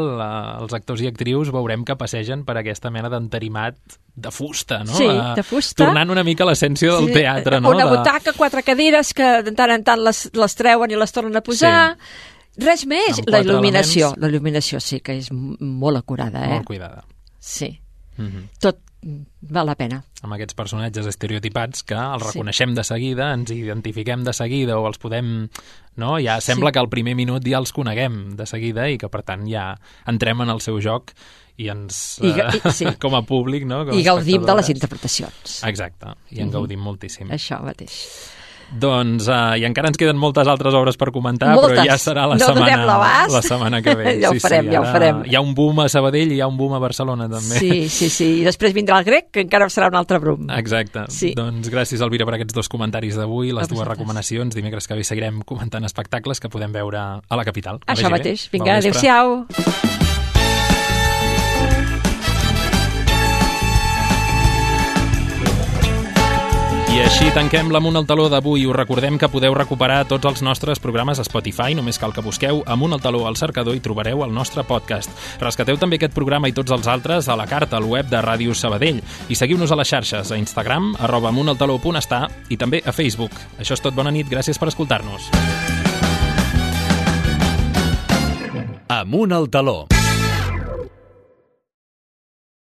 els actors i actrius veurem que passegen per aquesta mena d'entarimat de fusta, no? Sí, de fusta. Tornant una mica a l'essència del teatre, no? Una butaca, 4 cadires que de tant en tant les treuen i les tornen a posar. Sí. Res més. La il·luminació sí que és molt acurada. Molt cuidada. Sí. Tot val la pena. Amb aquests personatges estereotipats que els reconeixem de seguida, ens identifiquem de seguida o els podem... No? Ja sembla que al primer minut ja els coneguem de seguida i que, per tant, ja entrem en el seu joc i ens, com a públic, no? I gaudim de les interpretacions. Exacte, i en gaudim moltíssim. Això mateix. Doncs, i encara ens queden moltes altres obres per comentar, moltes. Però ja serà la setmana que ve. Ja ho farem. Hi ha un boom a Sabadell i hi ha un boom a Barcelona, també. Sí. I després vindrà el grec, que encara serà un altre boom. Exacte. Sí. Doncs gràcies, Elvira, per aquests 2 comentaris d'avui, les 2 recomanacions. Dimecres que ve seguirem comentant espectacles que podem veure a la capital. Això mateix. Vinga, adéu-siau. I així tanquem l'Amunt al Taló d'avui. Us recordem que podeu recuperar tots els nostres programes a Spotify. Només cal que busqueu Amunt al Taló al cercador i trobareu el nostre podcast. Rescateu també aquest programa i tots els altres a la carta al web de Ràdio Sabadell. I seguiu-nos a les xarxes, a Instagram, @amuntaltaló.està i també a Facebook. Això és tot, bona nit, gràcies per escoltar-nos. Amunt al Taló.